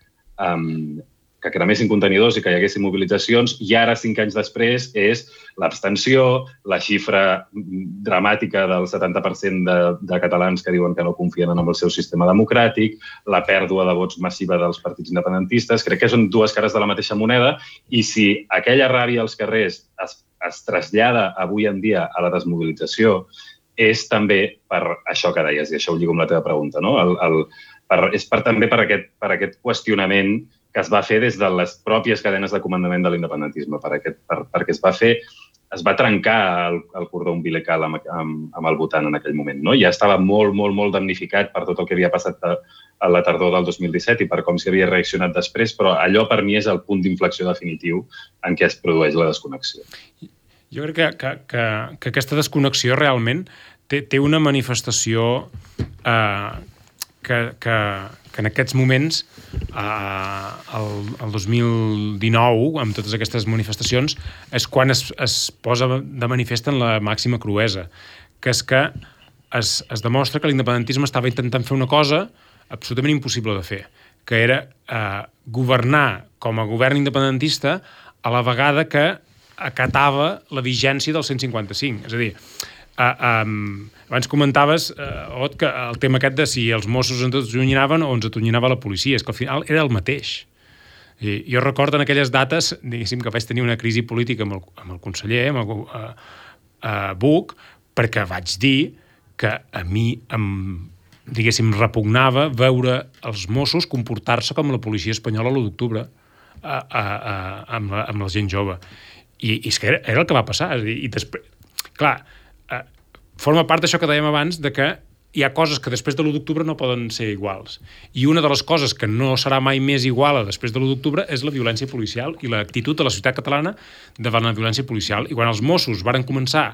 S6: que cremessin contenidors i que hi haguessin mobilitzacions, i ara, 5 anys després, és l'abstenció, la xifra dramàtica del 70% de catalans que diuen que no confien en el seu sistema democràtic, la pèrdua de vots massiva dels partits independentistes. Crec que són dues cares de la mateixa moneda, i si aquella ràbia als carrers es trasllada avui en dia a la desmobilització, és també per això que deies, i això ho lligo amb la teva pregunta, no? És també per aquest qüestionament que es va fer des de les pròpies cadenes de comandament de l'independentisme, perquè es va trencar el cordó umbilical amb el votant en aquell moment. No? Ja estava molt, molt, molt damnificat per tot el que havia passat a la tardor del 2017 i per com s'hi havia reaccionat després, però allò per mi és el punt d'inflexió definitiu en què es produeix la desconnexió.
S4: Jo crec que aquesta desconnexió realment té una manifestació que en aquests moments, el 2019, amb totes aquestes manifestacions, és quan es posa de manifest en la màxima cruesa, que és que es demostra que l'independentisme estava intentant fer una cosa absolutament impossible de fer, que era governar com a govern independentista a la vegada que acatava la vigència del 155. És a dir, abans comentaves, Ot, que el tema aquest de si els Mossos ens atonyaven o ens atonyinava la policia, és que al final era el mateix. I jo recordo en aquelles dates, diguéssim, que vaig tenir una crisi política amb el conseller, amb Buch, perquè vaig dir que a mi diguéssim, repugnava veure els Mossos comportar-se com la policia espanyola l'1 d'octubre amb la gent jove. I és que era el que va passar. I després, clar, forma part d'això que dèiem abans, de que hi ha coses que després de l'1 d'octubre no poden ser iguals. I una de les coses que no serà mai més igual després de l'1 d'octubre és la violència policial i l'actitud de la societat catalana davant la violència policial. I quan els Mossos varen començar a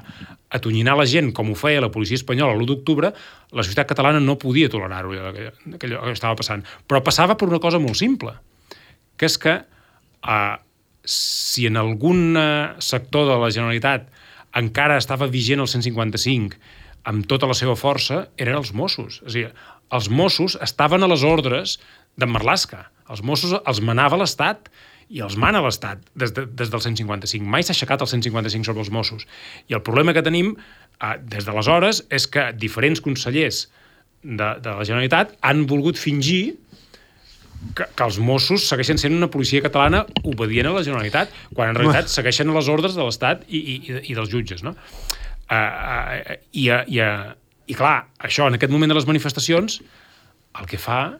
S4: atonyinar la gent com ho feia la policia espanyola l'1 d'octubre, la societat catalana no podia tolerar-ho, allò que estava passant. Però passava per una cosa molt simple, que és que si en algun sector de la Generalitat encara estava vigent el 155 amb tota la seva força, eren els Mossos. És a dir, els Mossos estaven a les ordres d'en Marlaska. Els Mossos els manava l'Estat i els mana l'Estat des del 155. Mai s'ha aixecat el 155 sobre els Mossos. I el problema que tenim des d'aleshores és que diferents consellers de la Generalitat han volgut fingir que els Mossos segueixen sent una policia catalana obedient a la Generalitat, quan en realitat segueixen a les ordres de l'Estat i dels jutges, no? I clar, això, en aquest moment de les manifestacions, el que fa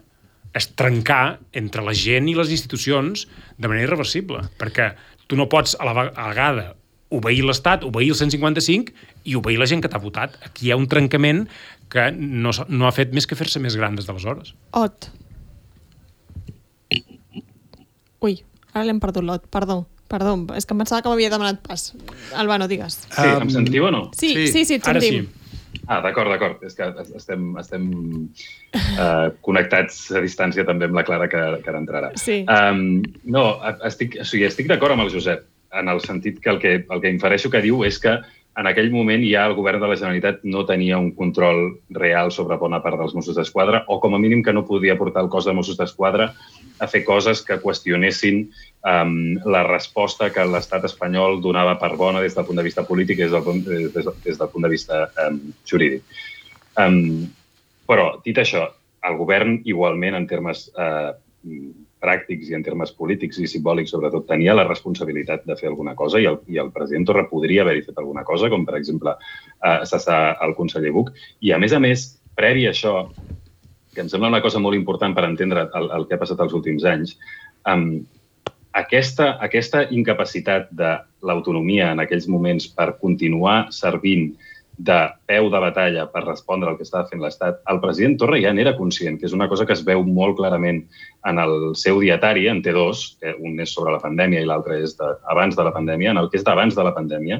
S4: és trencar entre la gent i les institucions de manera irreversible, perquè tu no pots a la vegada obeir l'Estat, obeir el 155 i obeir la gent que t'ha votat. Aquí hi ha un trencament que no ha fet més que fer-se més gran des d'aleshores.
S1: Ot. Ui, ara l'hem perdut, l'Ot. Perdó. És que em pensava que m'havia demanat pas. Albano, digues.
S6: Sí, em sentiu o no?
S1: Sí, et sentim.
S4: Ara sí.
S6: D'acord. És que estem connectats a distància també amb la Clara, que ara entrarà.
S1: Sí.
S6: No, estic d'acord amb el Josep, en el sentit que el que infereixo que diu és que en aquell moment ja el govern de la Generalitat no tenia un control real sobre bona part dels Mossos d'Esquadra, o com a mínim que no podia portar el cos de Mossos d'Esquadra a fer coses que qüestionessin la resposta que l'estat espanyol donava per bona des del punt de vista polític i des del punt de vista jurídic. Però, dit això, el govern igualment en termes pràctics i en termes polítics i simbòlics, sobretot, tenia la responsabilitat de fer alguna cosa i el president Torra podria haver-hi fet alguna cosa, com per exemple cessar el conseller Buch. I a més, previ a això, que em sembla una cosa molt important per entendre el que ha passat els últims anys, aquesta incapacitat de l'autonomia en aquells moments per continuar servint de peu de batalla per respondre al que estava fent l'Estat, el president Torra ja n'era conscient, que és una cosa que es veu molt clarament en el seu dietari, en té dos, que un és sobre la pandèmia i l'altre és abans de la pandèmia. En el que és d'abans de la pandèmia,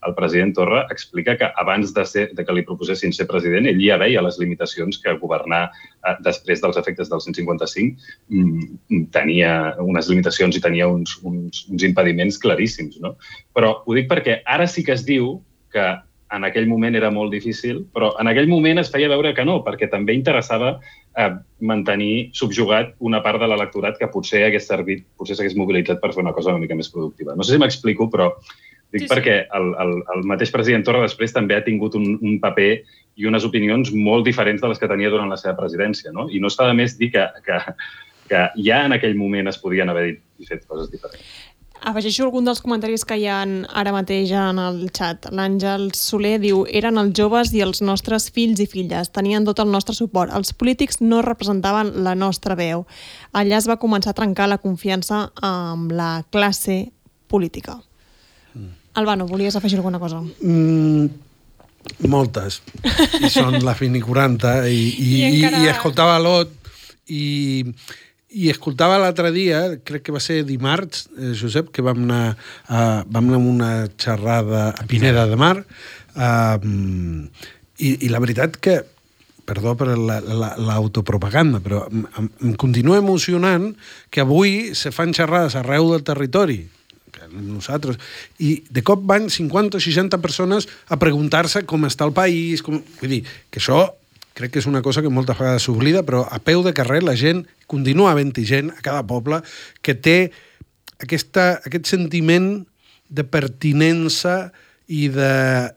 S6: el president Torra explica que abans de que li proposessin ser president, ell ja veia les limitacions que governar després dels efectes del 155 tenia unes limitacions i tenia uns impediments claríssims, no? Però ho dic perquè ara sí que es diu que en aquell moment era molt difícil, però en aquell moment es feia veure que no, perquè també interessava mantenir subjugat una part de l'electorat que potser hagués servit, potser s'hagués mobilitzat per fer una cosa una mica més productiva. No sé si m'explico, però dic perquè el mateix president Torra després també ha tingut un paper i unes opinions molt diferents de les que tenia durant la seva presidència, no? I no està de més dir que ja en aquell moment es podien haver dit i fet coses diferents.
S1: Afegeixo algun dels comentaris que hi ha ara mateix en el xat. L'Àngel Soler diu: eren els joves i els nostres fills i filles, tenien tot el nostre suport. Els polítics no representaven la nostra veu. Allà es va començar a trencar la confiança amb la classe política. Albano, volies afegir alguna cosa?
S5: Moltes. I són la Fini 40 i escoltava l'Ot i escoltava l'altre dia, crec que va ser dimarts, Josep, que vam anar a una xerrada a Pineda de Mar i la veritat que, perdó per l'autopropaganda, però em continua emocionant que avui se fan xerrades arreu del territori, nosaltres, i de cop van 50 o 60 persones a preguntar-se com està el país, vull dir, que això crec que és una cosa que moltes vegades s'oblida, però a peu de carrer la gent, continua havent-hi gent a cada poble que té aquest sentiment de pertinença i de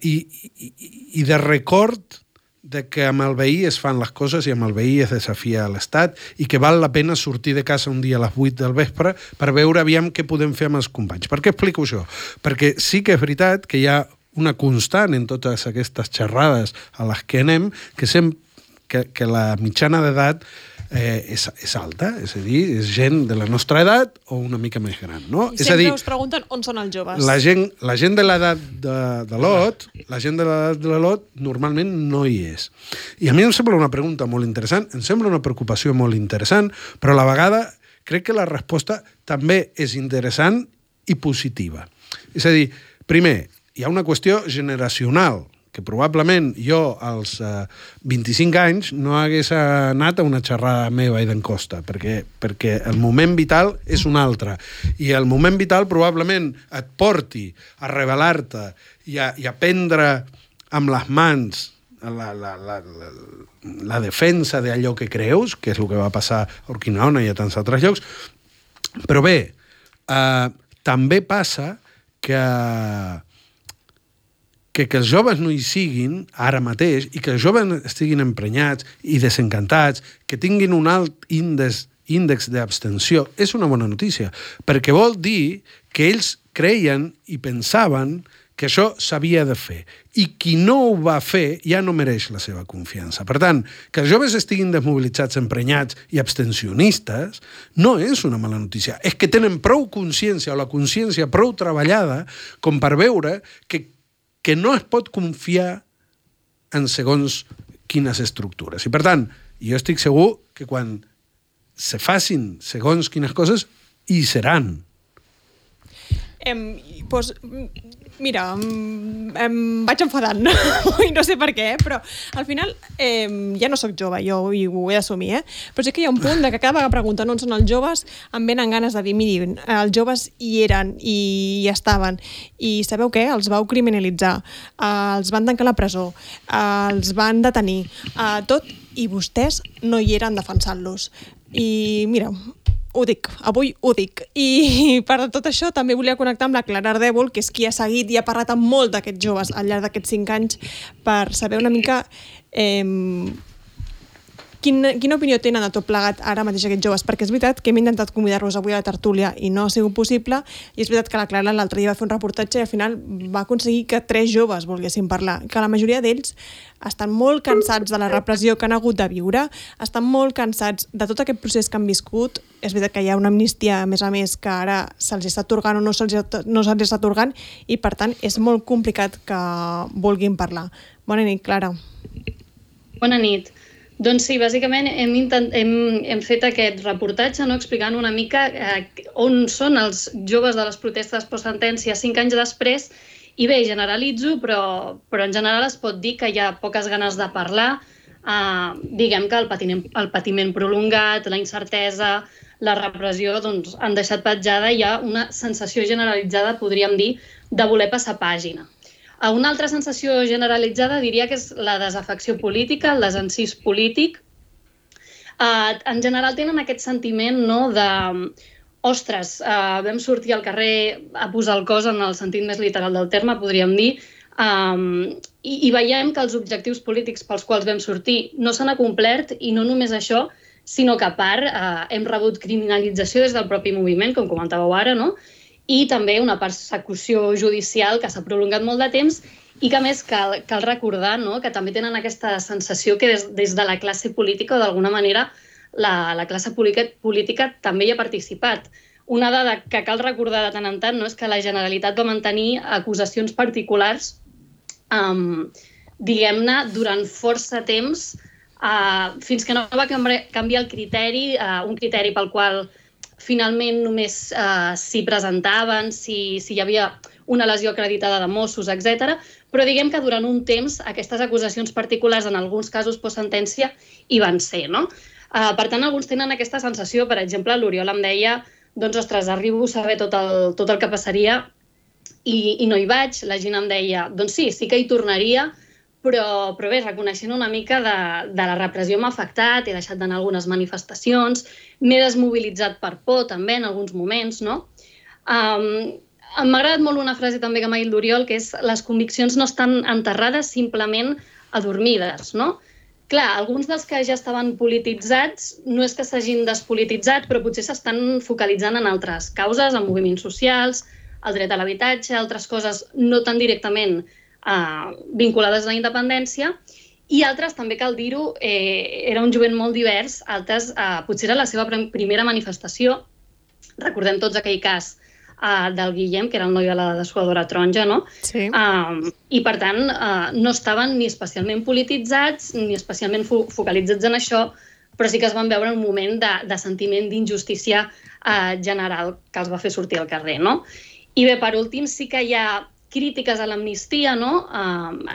S5: record de que amb el veí es fan les coses i amb el veí es desafia l'Estat i que val la pena sortir de casa un dia a les 8 del vespre per veure aviam què podem fer amb els companys. Per què explico això? Perquè sí que és veritat que hi ha una constant en totes aquestes xerrades a les que anem, que la mitjana d'edat és alta, és a dir, és gent de la nostra edat o una mica més gran, no?
S1: I sempre us pregunten on són els joves.
S5: La gent de l'edat de l'Ot, normalment no hi és. I a mi em sembla una pregunta molt interessant, em sembla una preocupació molt interessant, però a la vegada crec que la resposta també és interessant i positiva. És a dir, primer, hi ha una qüestió generacional, que probablement jo als 25 anys no hagués anat a una xerrada meva i d'en Costa, perquè el moment vital és un altre. I el moment vital probablement et porti a rebel·lar-te i a prendre amb les mans la defensa d'allò que creus, que és el que va passar a Urquinaona i a tants altres llocs. Però bé, també passa que els joves no hi siguin ara mateix i que els joves estiguin emprenyats i desencantats, que tinguin un alt índex d'abstenció, és una bona notícia, perquè vol dir que ells creien i pensaven que això s'havia de fer. I qui no ho va fer ja no mereix la seva confiança. Per tant, que els joves estiguin desmobilitzats, emprenyats i abstencionistes no és una mala notícia. És que tenen prou consciència o la consciència prou treballada com per veure que no es pot confiar en segons quines estructures. I, per tant, jo estic segur que quan se facin segons quines coses, hi seran.
S1: Doncs, mira, em vaig enfadant i no sé per què, però al final ja no sóc jove, jo ho he d'assumir, però sí que hi ha un punt de que cada vegada pregunten on són els joves, em venen ganes de dir, miri, els joves hi eren i hi estaven, i sabeu què? Els vau criminalitzar, els van tancar a la presó, els van detenir, tot, i vostès no hi eren defensant-los. I mira, ho dic, avui ho dic. I per tot això també volia connectar amb la Clara Ardèvol, que és qui ha seguit i ha parlat amb molt d'aquests joves al llarg d'aquests 5 anys per saber una mica quina opinió tenen de tot plegat ara mateix aquests joves, perquè és veritat que hem intentat convidar-los avui a la tertúlia i no ha sigut possible, i és veritat que la Clara l'altre dia va fer un reportatge i al final va aconseguir que 3 joves volguessin parlar, que la majoria d'ells estan molt cansats de la repressió que han hagut de viure, estan molt cansats de tot aquest procés que han viscut. És veritat que hi ha una amnistia, a més, que ara se'ls està atorgant o no se'ls està atorgant, i per tant és molt complicat que vulguin parlar. Bona nit, Clara.
S7: Bona nit. Doncs sí, bàsicament hem fet aquest reportatge, no, explicant una mica on són els joves de les protestes post-sentència 5 anys després, i bé, generalitzo, però en general es pot dir que hi ha poques ganes de parlar, diguem que el patiment prolongat, la incertesa, la repressió, doncs, han deixat petjada i hi ha una sensació generalitzada, podríem dir, de voler passar pàgina. Una altra sensació generalitzada diria que és la desafecció política, el desencís polític. En general tenen aquest sentiment, no, de ostres, vam sortir al carrer a posar el cos en el sentit més literal del terme, podríem dir, i veiem que els objectius polítics pels quals vam sortir no s'han acomplert, i no només això, sinó que a part hem rebut criminalització des del propi moviment, com comentàveu ara, no? I també una persecució judicial que s'ha prolongat molt de temps i que a més cal recordar, no?, que també tenen aquesta sensació que des de la classe política o d'alguna manera la classe política també hi ha participat. Una dada que cal recordar de tant en tant, no?, és que la Generalitat va mantenir acusacions particulars, diguem-ne, durant força temps, fins que no va canviar el criteri, un criteri pel qual finalment només s'hi presentaven, si hi havia una lesió acreditada de Mossos, etc. Però diguem que durant un temps aquestes acusacions particulars, en alguns casos post-sentència, hi van ser, no? Per tant, alguns tenen aquesta sensació. Per exemple, l'Oriol em deia, doncs, ostres, arribo a saber tot el que passaria i no hi vaig. La gent em deia, doncs sí que hi tornaria, però bé, reconeixent una mica de la repressió m'ha afectat, he deixat d'anar a algunes manifestacions, m'he desmobilitzat per por també en alguns moments, no? M'ha agradat molt una frase també que m'ha dit l'Oriol, que és les conviccions no estan enterrades, simplement adormides, no? Clar, alguns dels que ja estaven polititzats no és que s'hagin despolititzat, però potser s'estan focalitzant en altres causes, en moviments socials, el dret a l'habitatge, altres coses no tan directament vinculades a la independència, i altres, també cal dir-ho, era un jovent molt divers, altres potser era la seva primera manifestació. Recordem tots aquell cas del Guillem, que era el noi de la dessuadora taronja, no?
S2: Sí.
S7: I, per tant, no estaven ni especialment polititzats ni especialment focalitzats en això, però sí que es van veure un moment de sentiment d'injustícia general que els va fer sortir al carrer, no? I bé, per últim, sí que hi ha crítiques a l'amnistia, no?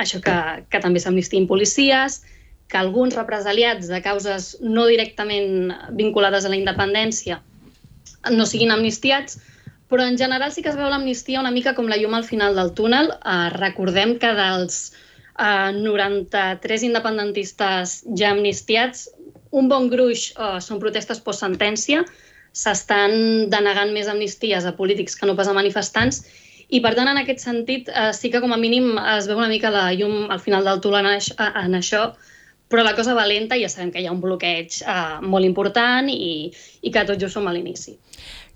S7: Això que també s'amnistiïn policies, que alguns represaliats de causes no directament vinculades a la independència no siguin amnistiats, però en general sí que es veu l'amnistia una mica com la llum al final del túnel. Recordem que dels 93 independentistes ja amnistiats, un bon gruix són protestes post-sentència, s'estan denegant més amnisties a polítics que no pas a manifestants, i per tant, en aquest sentit, sí que com a mínim es veu una mica la llum al final del túnel en això, però la cosa va lenta i ja sabem que hi ha un bloqueig molt important i que tot just som a l'inici.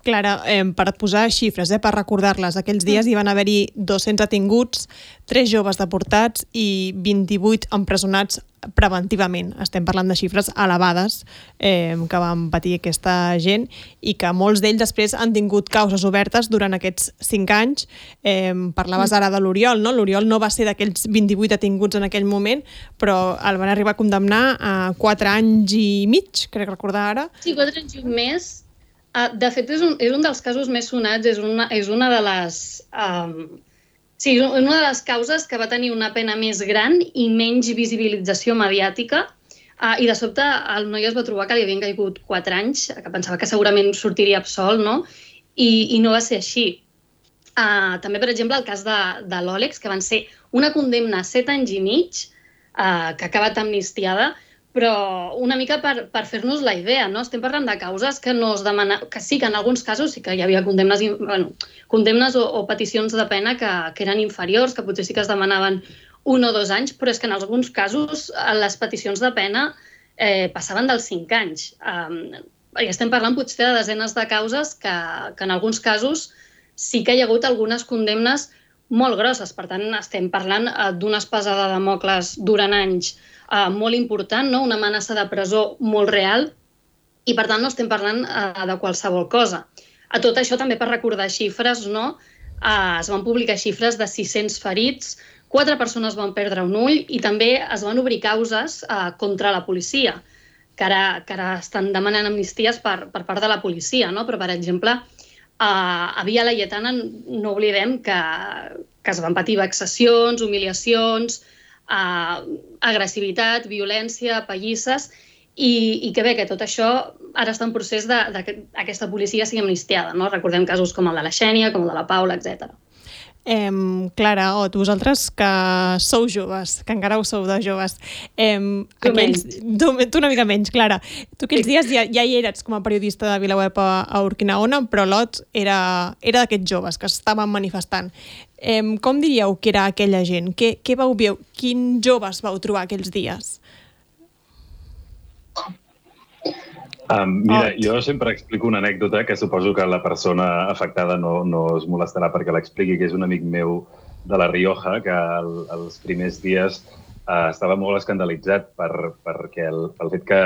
S2: Clara, per posar xifres, per recordar-les, aquells dies hi van haver-hi 200 detinguts, 3 joves deportats i 28 empresonats preventivament. Estem parlant de xifres elevades que van patir aquesta gent i que molts d'ells després han tingut causes obertes durant aquests 5 anys. Parlaves ara de l'Oriol, no? L'Oriol no va ser d'aquells 28 detinguts en aquell moment, però el van arribar a condemnar a 4 anys i mig, crec recordar ara.
S7: Sí, 4 anys i un mes. De fet, és un dels casos més sonats, és una de les... Sí, una de les causes que va tenir una pena més gran i menys visibilització mediàtica, i de sobte el noi es va trobar que li havien caigut 4 anys, que pensava que segurament sortiria absolt, no? I no va ser així. També, per exemple, el cas de l'Òlex, que van ser una condemna a 7 anys i mig, que ha acabat amnistiada, però una mica per fer-nos la idea, no? Estem parlant de causes que no es demana... que sí que en alguns casos sí que hi havia condemnes o peticions de pena que eren inferiors, que potser sí que es demanaven 1 o 2 anys, però és que en alguns casos les peticions de pena passaven dels 5 anys. I estem parlant potser de desenes de causes que en alguns casos sí que hi ha hagut algunes condemnes molt grosses. Per tant, estem parlant d'una espasa de Dàmocles durant anys molt important, no? Una amenaça de presó molt real, i per tant no estem parlant de qualsevol cosa. A tot això també per recordar xifres, no? Es van publicar xifres de 600 ferits, 4 persones van perdre un ull i també es van obrir causes contra la policia, que ara estan demanant amnisties per part de la policia, no? Però, per exemple, a Via Laietana no oblidem que es van patir vexacions, humiliacions, agressivitat, violència, pallisses, i que bé, que tot això ara està en procés que aquesta policia sigui amnistiada, no? Recordem casos com el de la Xènia, com el de la Paula, etc.
S1: Clara, o vosaltres que sou joves, que encara ho sou de joves, tu una mica menys, Clara, tu aquells dies ja hi eres com a periodista de VilaWeb a Urquinaona, però l'Ot era d'aquests joves que estaven manifestant. Com diríeu que era aquella gent? Què vau veure? Quins joves vau trobar aquells dies?
S6: Mira, jo sempre explico una anècdota que suposo que la persona afectada no es molestarà perquè l'expliqui, que és un amic meu de La Rioja, que els primers dies estava molt escandalitzat pel fet que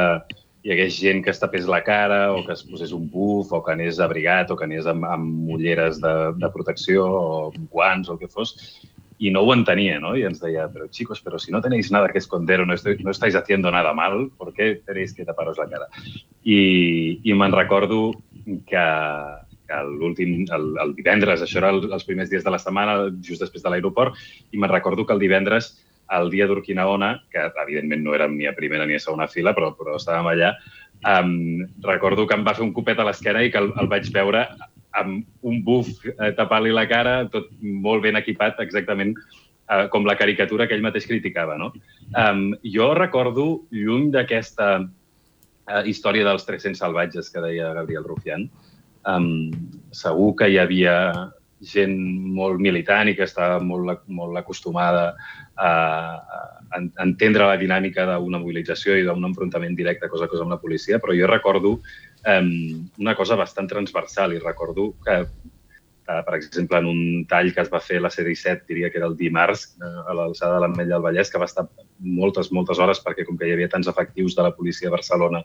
S6: hi hagués gent que es tapés la cara o que es posés un buf o que anés abrigat o que anés amb ulleres de protecció o guants o el que fos. Y no ho entenia, ¿no? Y ens deia, pero chicos, pero si no tenéis nada que esconder o no estáis haciendo nada mal, ¿por qué tenéis que taparos la cara? I me'n recordo que el divendres, això era els primers dies de la setmana, just després de l'aeroport, i me'n recordo que el divendres, el dia d'Urquinaona, que evidentment no érem ni a primera ni a segona fila, però estàvem allà, recordo que em va fer un copet a l'esquena i que el vaig veure amb un buf tapant-li la cara, tot molt ben equipat, exactament com la caricatura que ell mateix criticava, no? Jo recordo, lluny d'aquesta història dels 300 salvatges que deia Gabriel Rufián, segur que hi havia gent molt militant i que estava molt acostumada a entendre la dinàmica d'una mobilització i d'un enfrontament directe cosa a cosa amb la policia, però jo recordo una cosa bastant transversal i recordo que, per exemple, en un tall que es va fer a la C-17, diria que era el dimarts, a l'alçada de l'Ametlla del Vallès, que va estar moltes hores perquè com que hi havia tants efectius de la policia a Barcelona,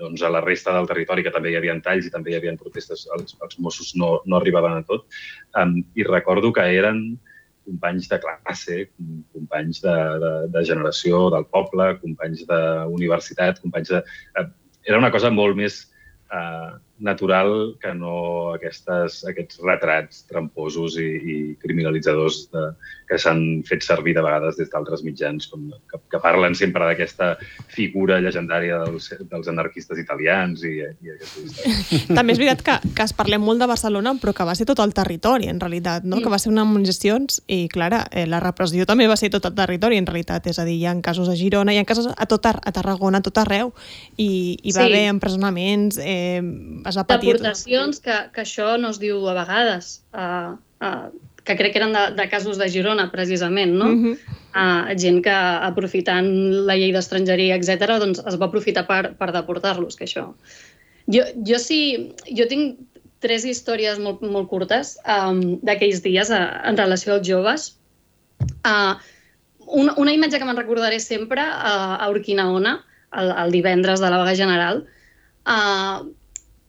S6: doncs a la resta del territori, que també hi havia talls i també hi havia protestes, els Mossos no arribaven a tot. I recordo que eren companys de classe, companys de generació del poble, companys d'universitat, companys de... Era una cosa molt més natural que no aquests retrats tramposos i criminalitzadors que s'han fet servir de vegades des d'altres mitjans, que parlen sempre d'aquesta figura llegendària dels anarquistes italians i aquesta història.
S1: També és veritat que es parlem molt de Barcelona, però que va ser tot el territori, en realitat, no? Que va ser unes manifestacions i, clar, la repressió també va ser tot el territori, en realitat. És a dir, hi ha casos a Girona, hi ha casos a Tarragona, a tot arreu, i va haver empresonaments, es va patir...
S7: Deportacions, que això no es diu a vegades, que crec que eren de casos de Girona, precisament, no? Gent que, aprofitant la llei d'estrangeria, etc., doncs es va aprofitar per deportar-los, que això... Jo tinc 3 històries molt curtes d'aquells dies en relació als joves. Una imatge que me'n recordaré sempre a Urquinaona, el divendres de la vaga general,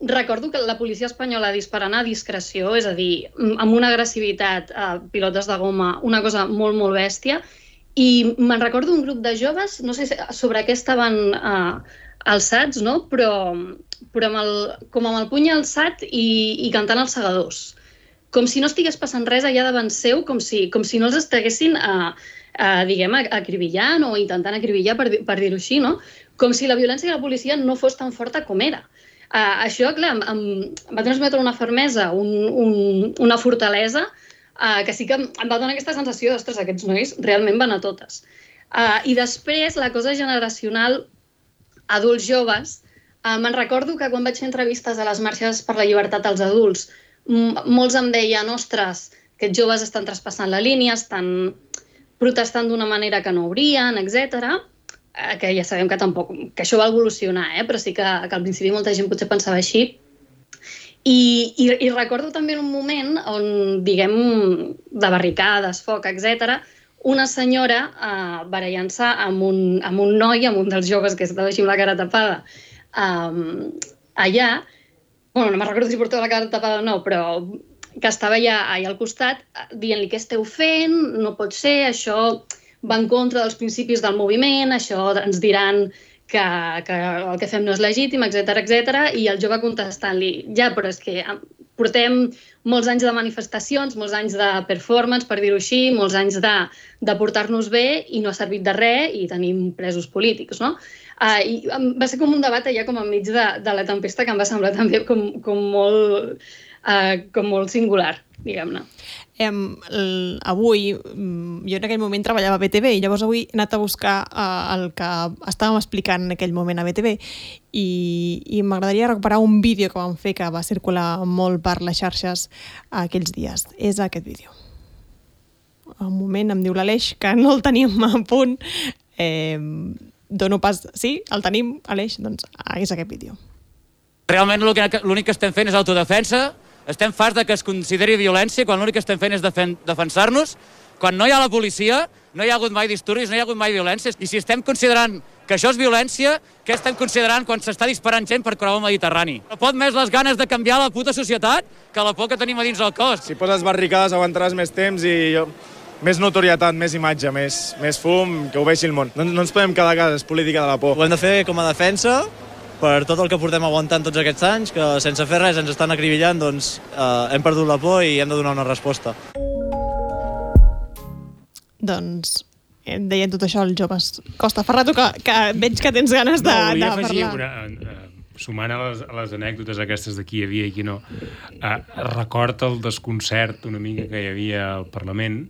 S7: recordo que la policia espanyola disparant a discreció, és a dir, amb una agressivitat, pilotes de goma, una cosa molt, molt bèstia, i me'n recordo un grup de joves, no sé sobre què estaven alçats, no? Però com amb el puny alçat i cantant els segadors. Com si no estigués passant res allà davant seu, com si no els estiguessin, diguem, acribillant o intentant acribillar, per dir-ho així, no? Com si la violència de la policia no fos tan forta com era. Això, clar, em va transmetre una fermesa, una fortalesa, que sí que em va donar aquesta sensació d'ostres, aquests nois realment van a totes. I després, la cosa generacional, adults joves, me'n recordo que quan vaig fer entrevistes a les marxes per la llibertat als adults, molts em deien, ostres, aquests joves estan traspassant la línia, estan protestant d'una manera que no haurien, etc., que ja sabem que tampoc, que això va evolucionar, però sí que al principi molta gent potser pensava així. I recordo també en un moment on, diguem, de barricades, foc, etc., una senyora barallant-se amb un noi, amb un dels joves que estava així amb la cara tapada, allà, bueno, no me'n recordo si portava la cara tapada o no, però que estava allà al costat dient-li què esteu fent, no pot ser, això va en contra dels principis del moviment, això ens diran que el que fem no és legítim, etc. I el jove contestant-li, ja, però és que portem molts anys de manifestacions, molts anys de performance, per dir-ho així, molts anys de portar-nos bé i no ha servit de res i tenim presos polítics, no? I va ser com un debat allà com enmig de la tempesta que em va semblar també com molt com molt singular, diguem-ne.
S2: Avui, jo en aquell moment treballava a BTV i llavors avui he anat a buscar el que estàvem explicant en aquell moment a BTV i m'agradaria recuperar un vídeo que vam fer que va circular molt per les xarxes aquells dies. És aquest vídeo. Un moment, em diu l'Aleix que no el tenim a punt. Dono pas... Sí, el tenim, Aleix? Doncs és aquest vídeo.
S8: Realment l'únic que estem fent és autodefensa. Estem farts que es consideri violència quan l'únic que estem fent és defensar-nos. Quan no hi ha la policia, no hi ha hagut mai disturbis, no hi ha hagut mai violències. I si estem considerant que això és violència, què estem considerant quan s'està disparant gent per creuar el Mediterrani? No pot més les ganes de canviar la puta societat que la por que tenim a dins el cos.
S9: Si poses barricades aguantaràs més temps i més notorietat, més imatge, més fum, que ho vegi el món. No ens podem quedar a casa, és política de la por.
S10: Ho hem de fer com a defensa, per tot el que portem aguantant tots aquests anys, que sense fer res ens estan acribillant, doncs hem perdut la por i hem de donar una resposta.
S2: Doncs deien tot això els joves. Costa Ferrato, que veig que tens ganes de parlar.
S4: Sumant a les anècdotes aquestes de qui hi havia i qui no, record el desconcert una mica que hi havia al Parlament,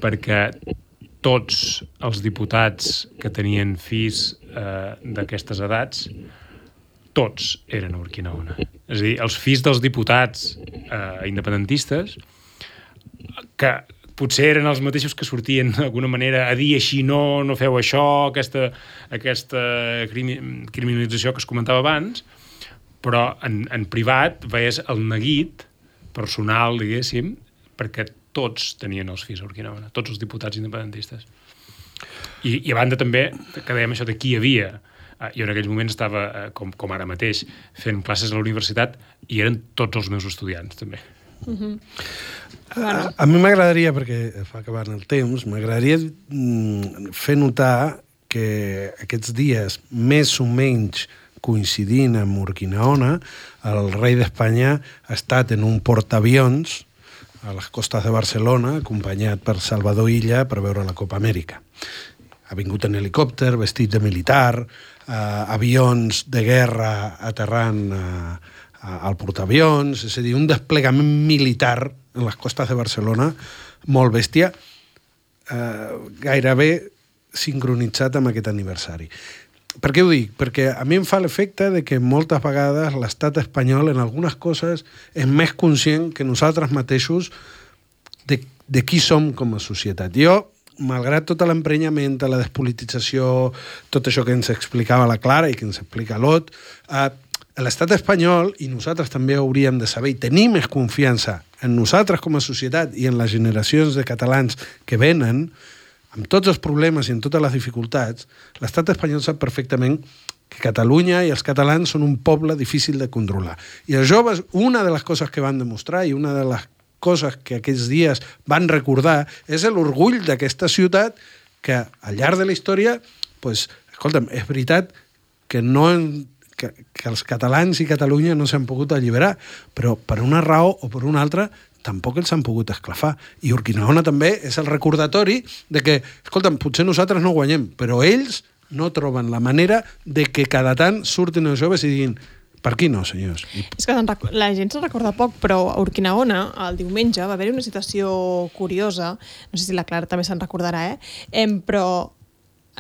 S4: perquè tots els diputats que tenien fills d'aquestes edats, tots eren a Urquinaona. És a dir, els fills dels diputats independentistes, que potser eren els mateixos que sortien d'alguna manera a dir així no feu això, aquesta criminalització que es comentava abans, però en privat veies el neguit personal, diguéssim, perquè tots tenien els fills a Urquinaona, tots els diputats independentistes. I a banda també, que dèiem això de qui hi havia, jo en aquell moment estava, com ara mateix, fent classes a la universitat i eren tots els meus estudiants, també.
S5: A mi m'agradaria, perquè fa acabar el temps, m'agradaria fer notar que aquests dies, més o menys coincidint amb Urquinaona, el rei d'Espanya ha estat en un portaavions a les costes de Barcelona, acompanyat per Salvador Illa per veure la Copa Amèrica. Ha vingut en helicòpter, vestit de militar, avions de guerra aterrant al portaavions, és a dir, un desplegament militar en les costes de Barcelona molt bèstia, gairebé sincronitzat amb aquest aniversari. Per què ho dic? Perquè a mi em fa l'efecte de que moltes vegades l'estat espanyol en algunes coses és més conscient que nosaltres mateixos de qui som com a societat. Jo, malgrat tot l'emprenyament, la despolitització, tot això que ens explicava la Clara i que ens explica l'Ot, l'estat espanyol, i nosaltres també hauríem de saber i tenir més confiança en nosaltres com a societat i en les generacions de catalans que venen, amb tots els problemes i amb totes les dificultats, l'estat espanyol sap perfectament que Catalunya i els catalans són un poble difícil de controlar. I els joves, una de les coses que van demostrar i una de les coses que aquests dies van recordar és l'orgull d'aquesta ciutat que al llarg de la història, doncs, escolta'm, és veritat que que els catalans i Catalunya no s'han pogut alliberar, però per una raó o per una altra tampoc els han pogut esclafar. I Urquinaona també és el recordatori de que, escolta'm, potser nosaltres no guanyem, però ells no troben la manera de que cada tant surtin els joves i diguin per aquí no, senyors.
S2: És que la gent se'n recorda poc, però a Urquinaona, el diumenge, va haver-hi una situació curiosa, no sé si la Clara també se'n recordarà, però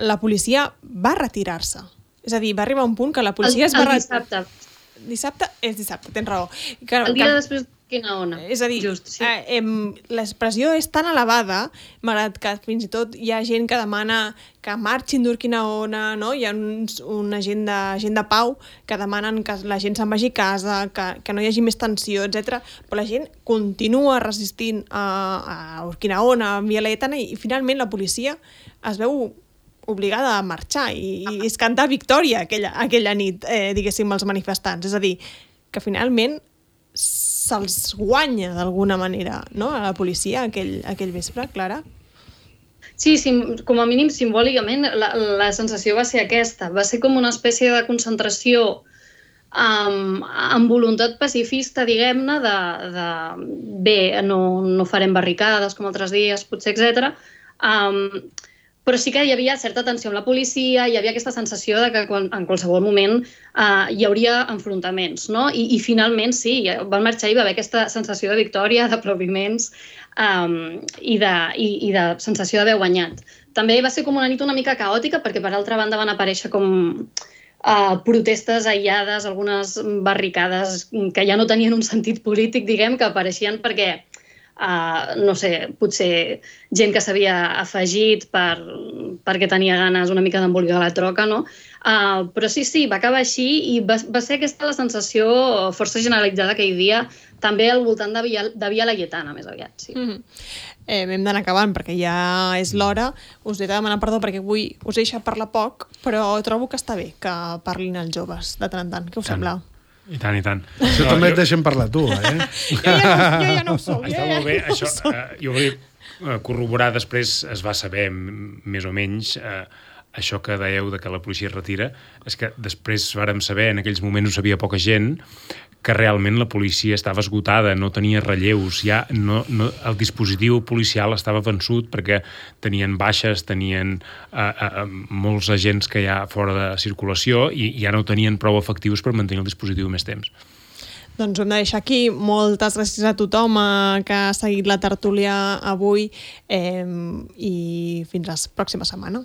S2: la policia va retirar-se. És a dir, va arribar un punt que la policia es va...
S7: El dissabte.
S2: Dissabte? És dissabte, tens raó.
S7: El dia després d'Urquinaona.
S2: És a dir,
S7: just, sí.
S2: l'expressió és tan elevada, malgrat que fins i tot hi ha gent que demana que marxin d'Urquinaona, no? Hi ha una gent de pau que demanen que la gent se'n vagi a casa, que no hi hagi més tensió, etc. Però la gent continua resistint a Urquinaona, a Via Laietana, i finalment la policia es veu obligada a marxar i es cantar victòria aquella nit, diguéssim, els manifestants. És a dir, que finalment se'ls guanya d'alguna manera, no?, a la policia aquell vespre, Clara?
S7: Sí, com a mínim simbòlicament la sensació va ser aquesta. Va ser com una espècie de concentració amb voluntat pacifista, diguem-ne, de bé, no farem barricades com altres dies, potser, etc. però sí que hi havia certa tensió amb la policia, hi havia aquesta sensació de que en qualsevol moment hi hauria enfrontaments, no? I finalment sí, van marxar i va haver aquesta sensació de victòria, d'aplaudiments i de sensació d'haver guanyat. També va ser com una nit una mica caòtica perquè per altra banda van aparèixer com protestes aïllades, algunes barricades que ja no tenien un sentit polític, diguem, que apareixien perquè no sé, potser gent que s'havia afegit perquè tenia ganes una mica d'embolicar la troca, no? Però sí, va acabar així i va ser aquesta la sensació força generalitzada aquell dia, també al voltant de Via Laietana, més aviat, sí.
S1: Hem d'anar acabant perquè ja és l'hora. Us he de demanar perdó perquè avui us he deixat parlar poc, però trobo que està bé que parlin els joves de tant en tant. Què us sembla?
S4: I tant, i tant.
S5: Això també et deixem parlar tu, eh?
S1: Jo ja no ho soc.
S4: Està molt bé. Això, jo volia corroborar després, es va saber més o menys això que dèieu de que la policia es retira, és que després vàrem saber, en aquells moments ho sabia poca gent, que realment la policia estava esgotada, no tenia relleus, ja el dispositiu policial estava vençut perquè tenien baixes, tenien molts agents que hi ha fora de circulació i ja no tenien prou efectius per mantenir el dispositiu més temps.
S1: Doncs ho hem de deixar aquí. Moltes gràcies a tothom que ha seguit la tertúlia avui i fins la pròxima setmana.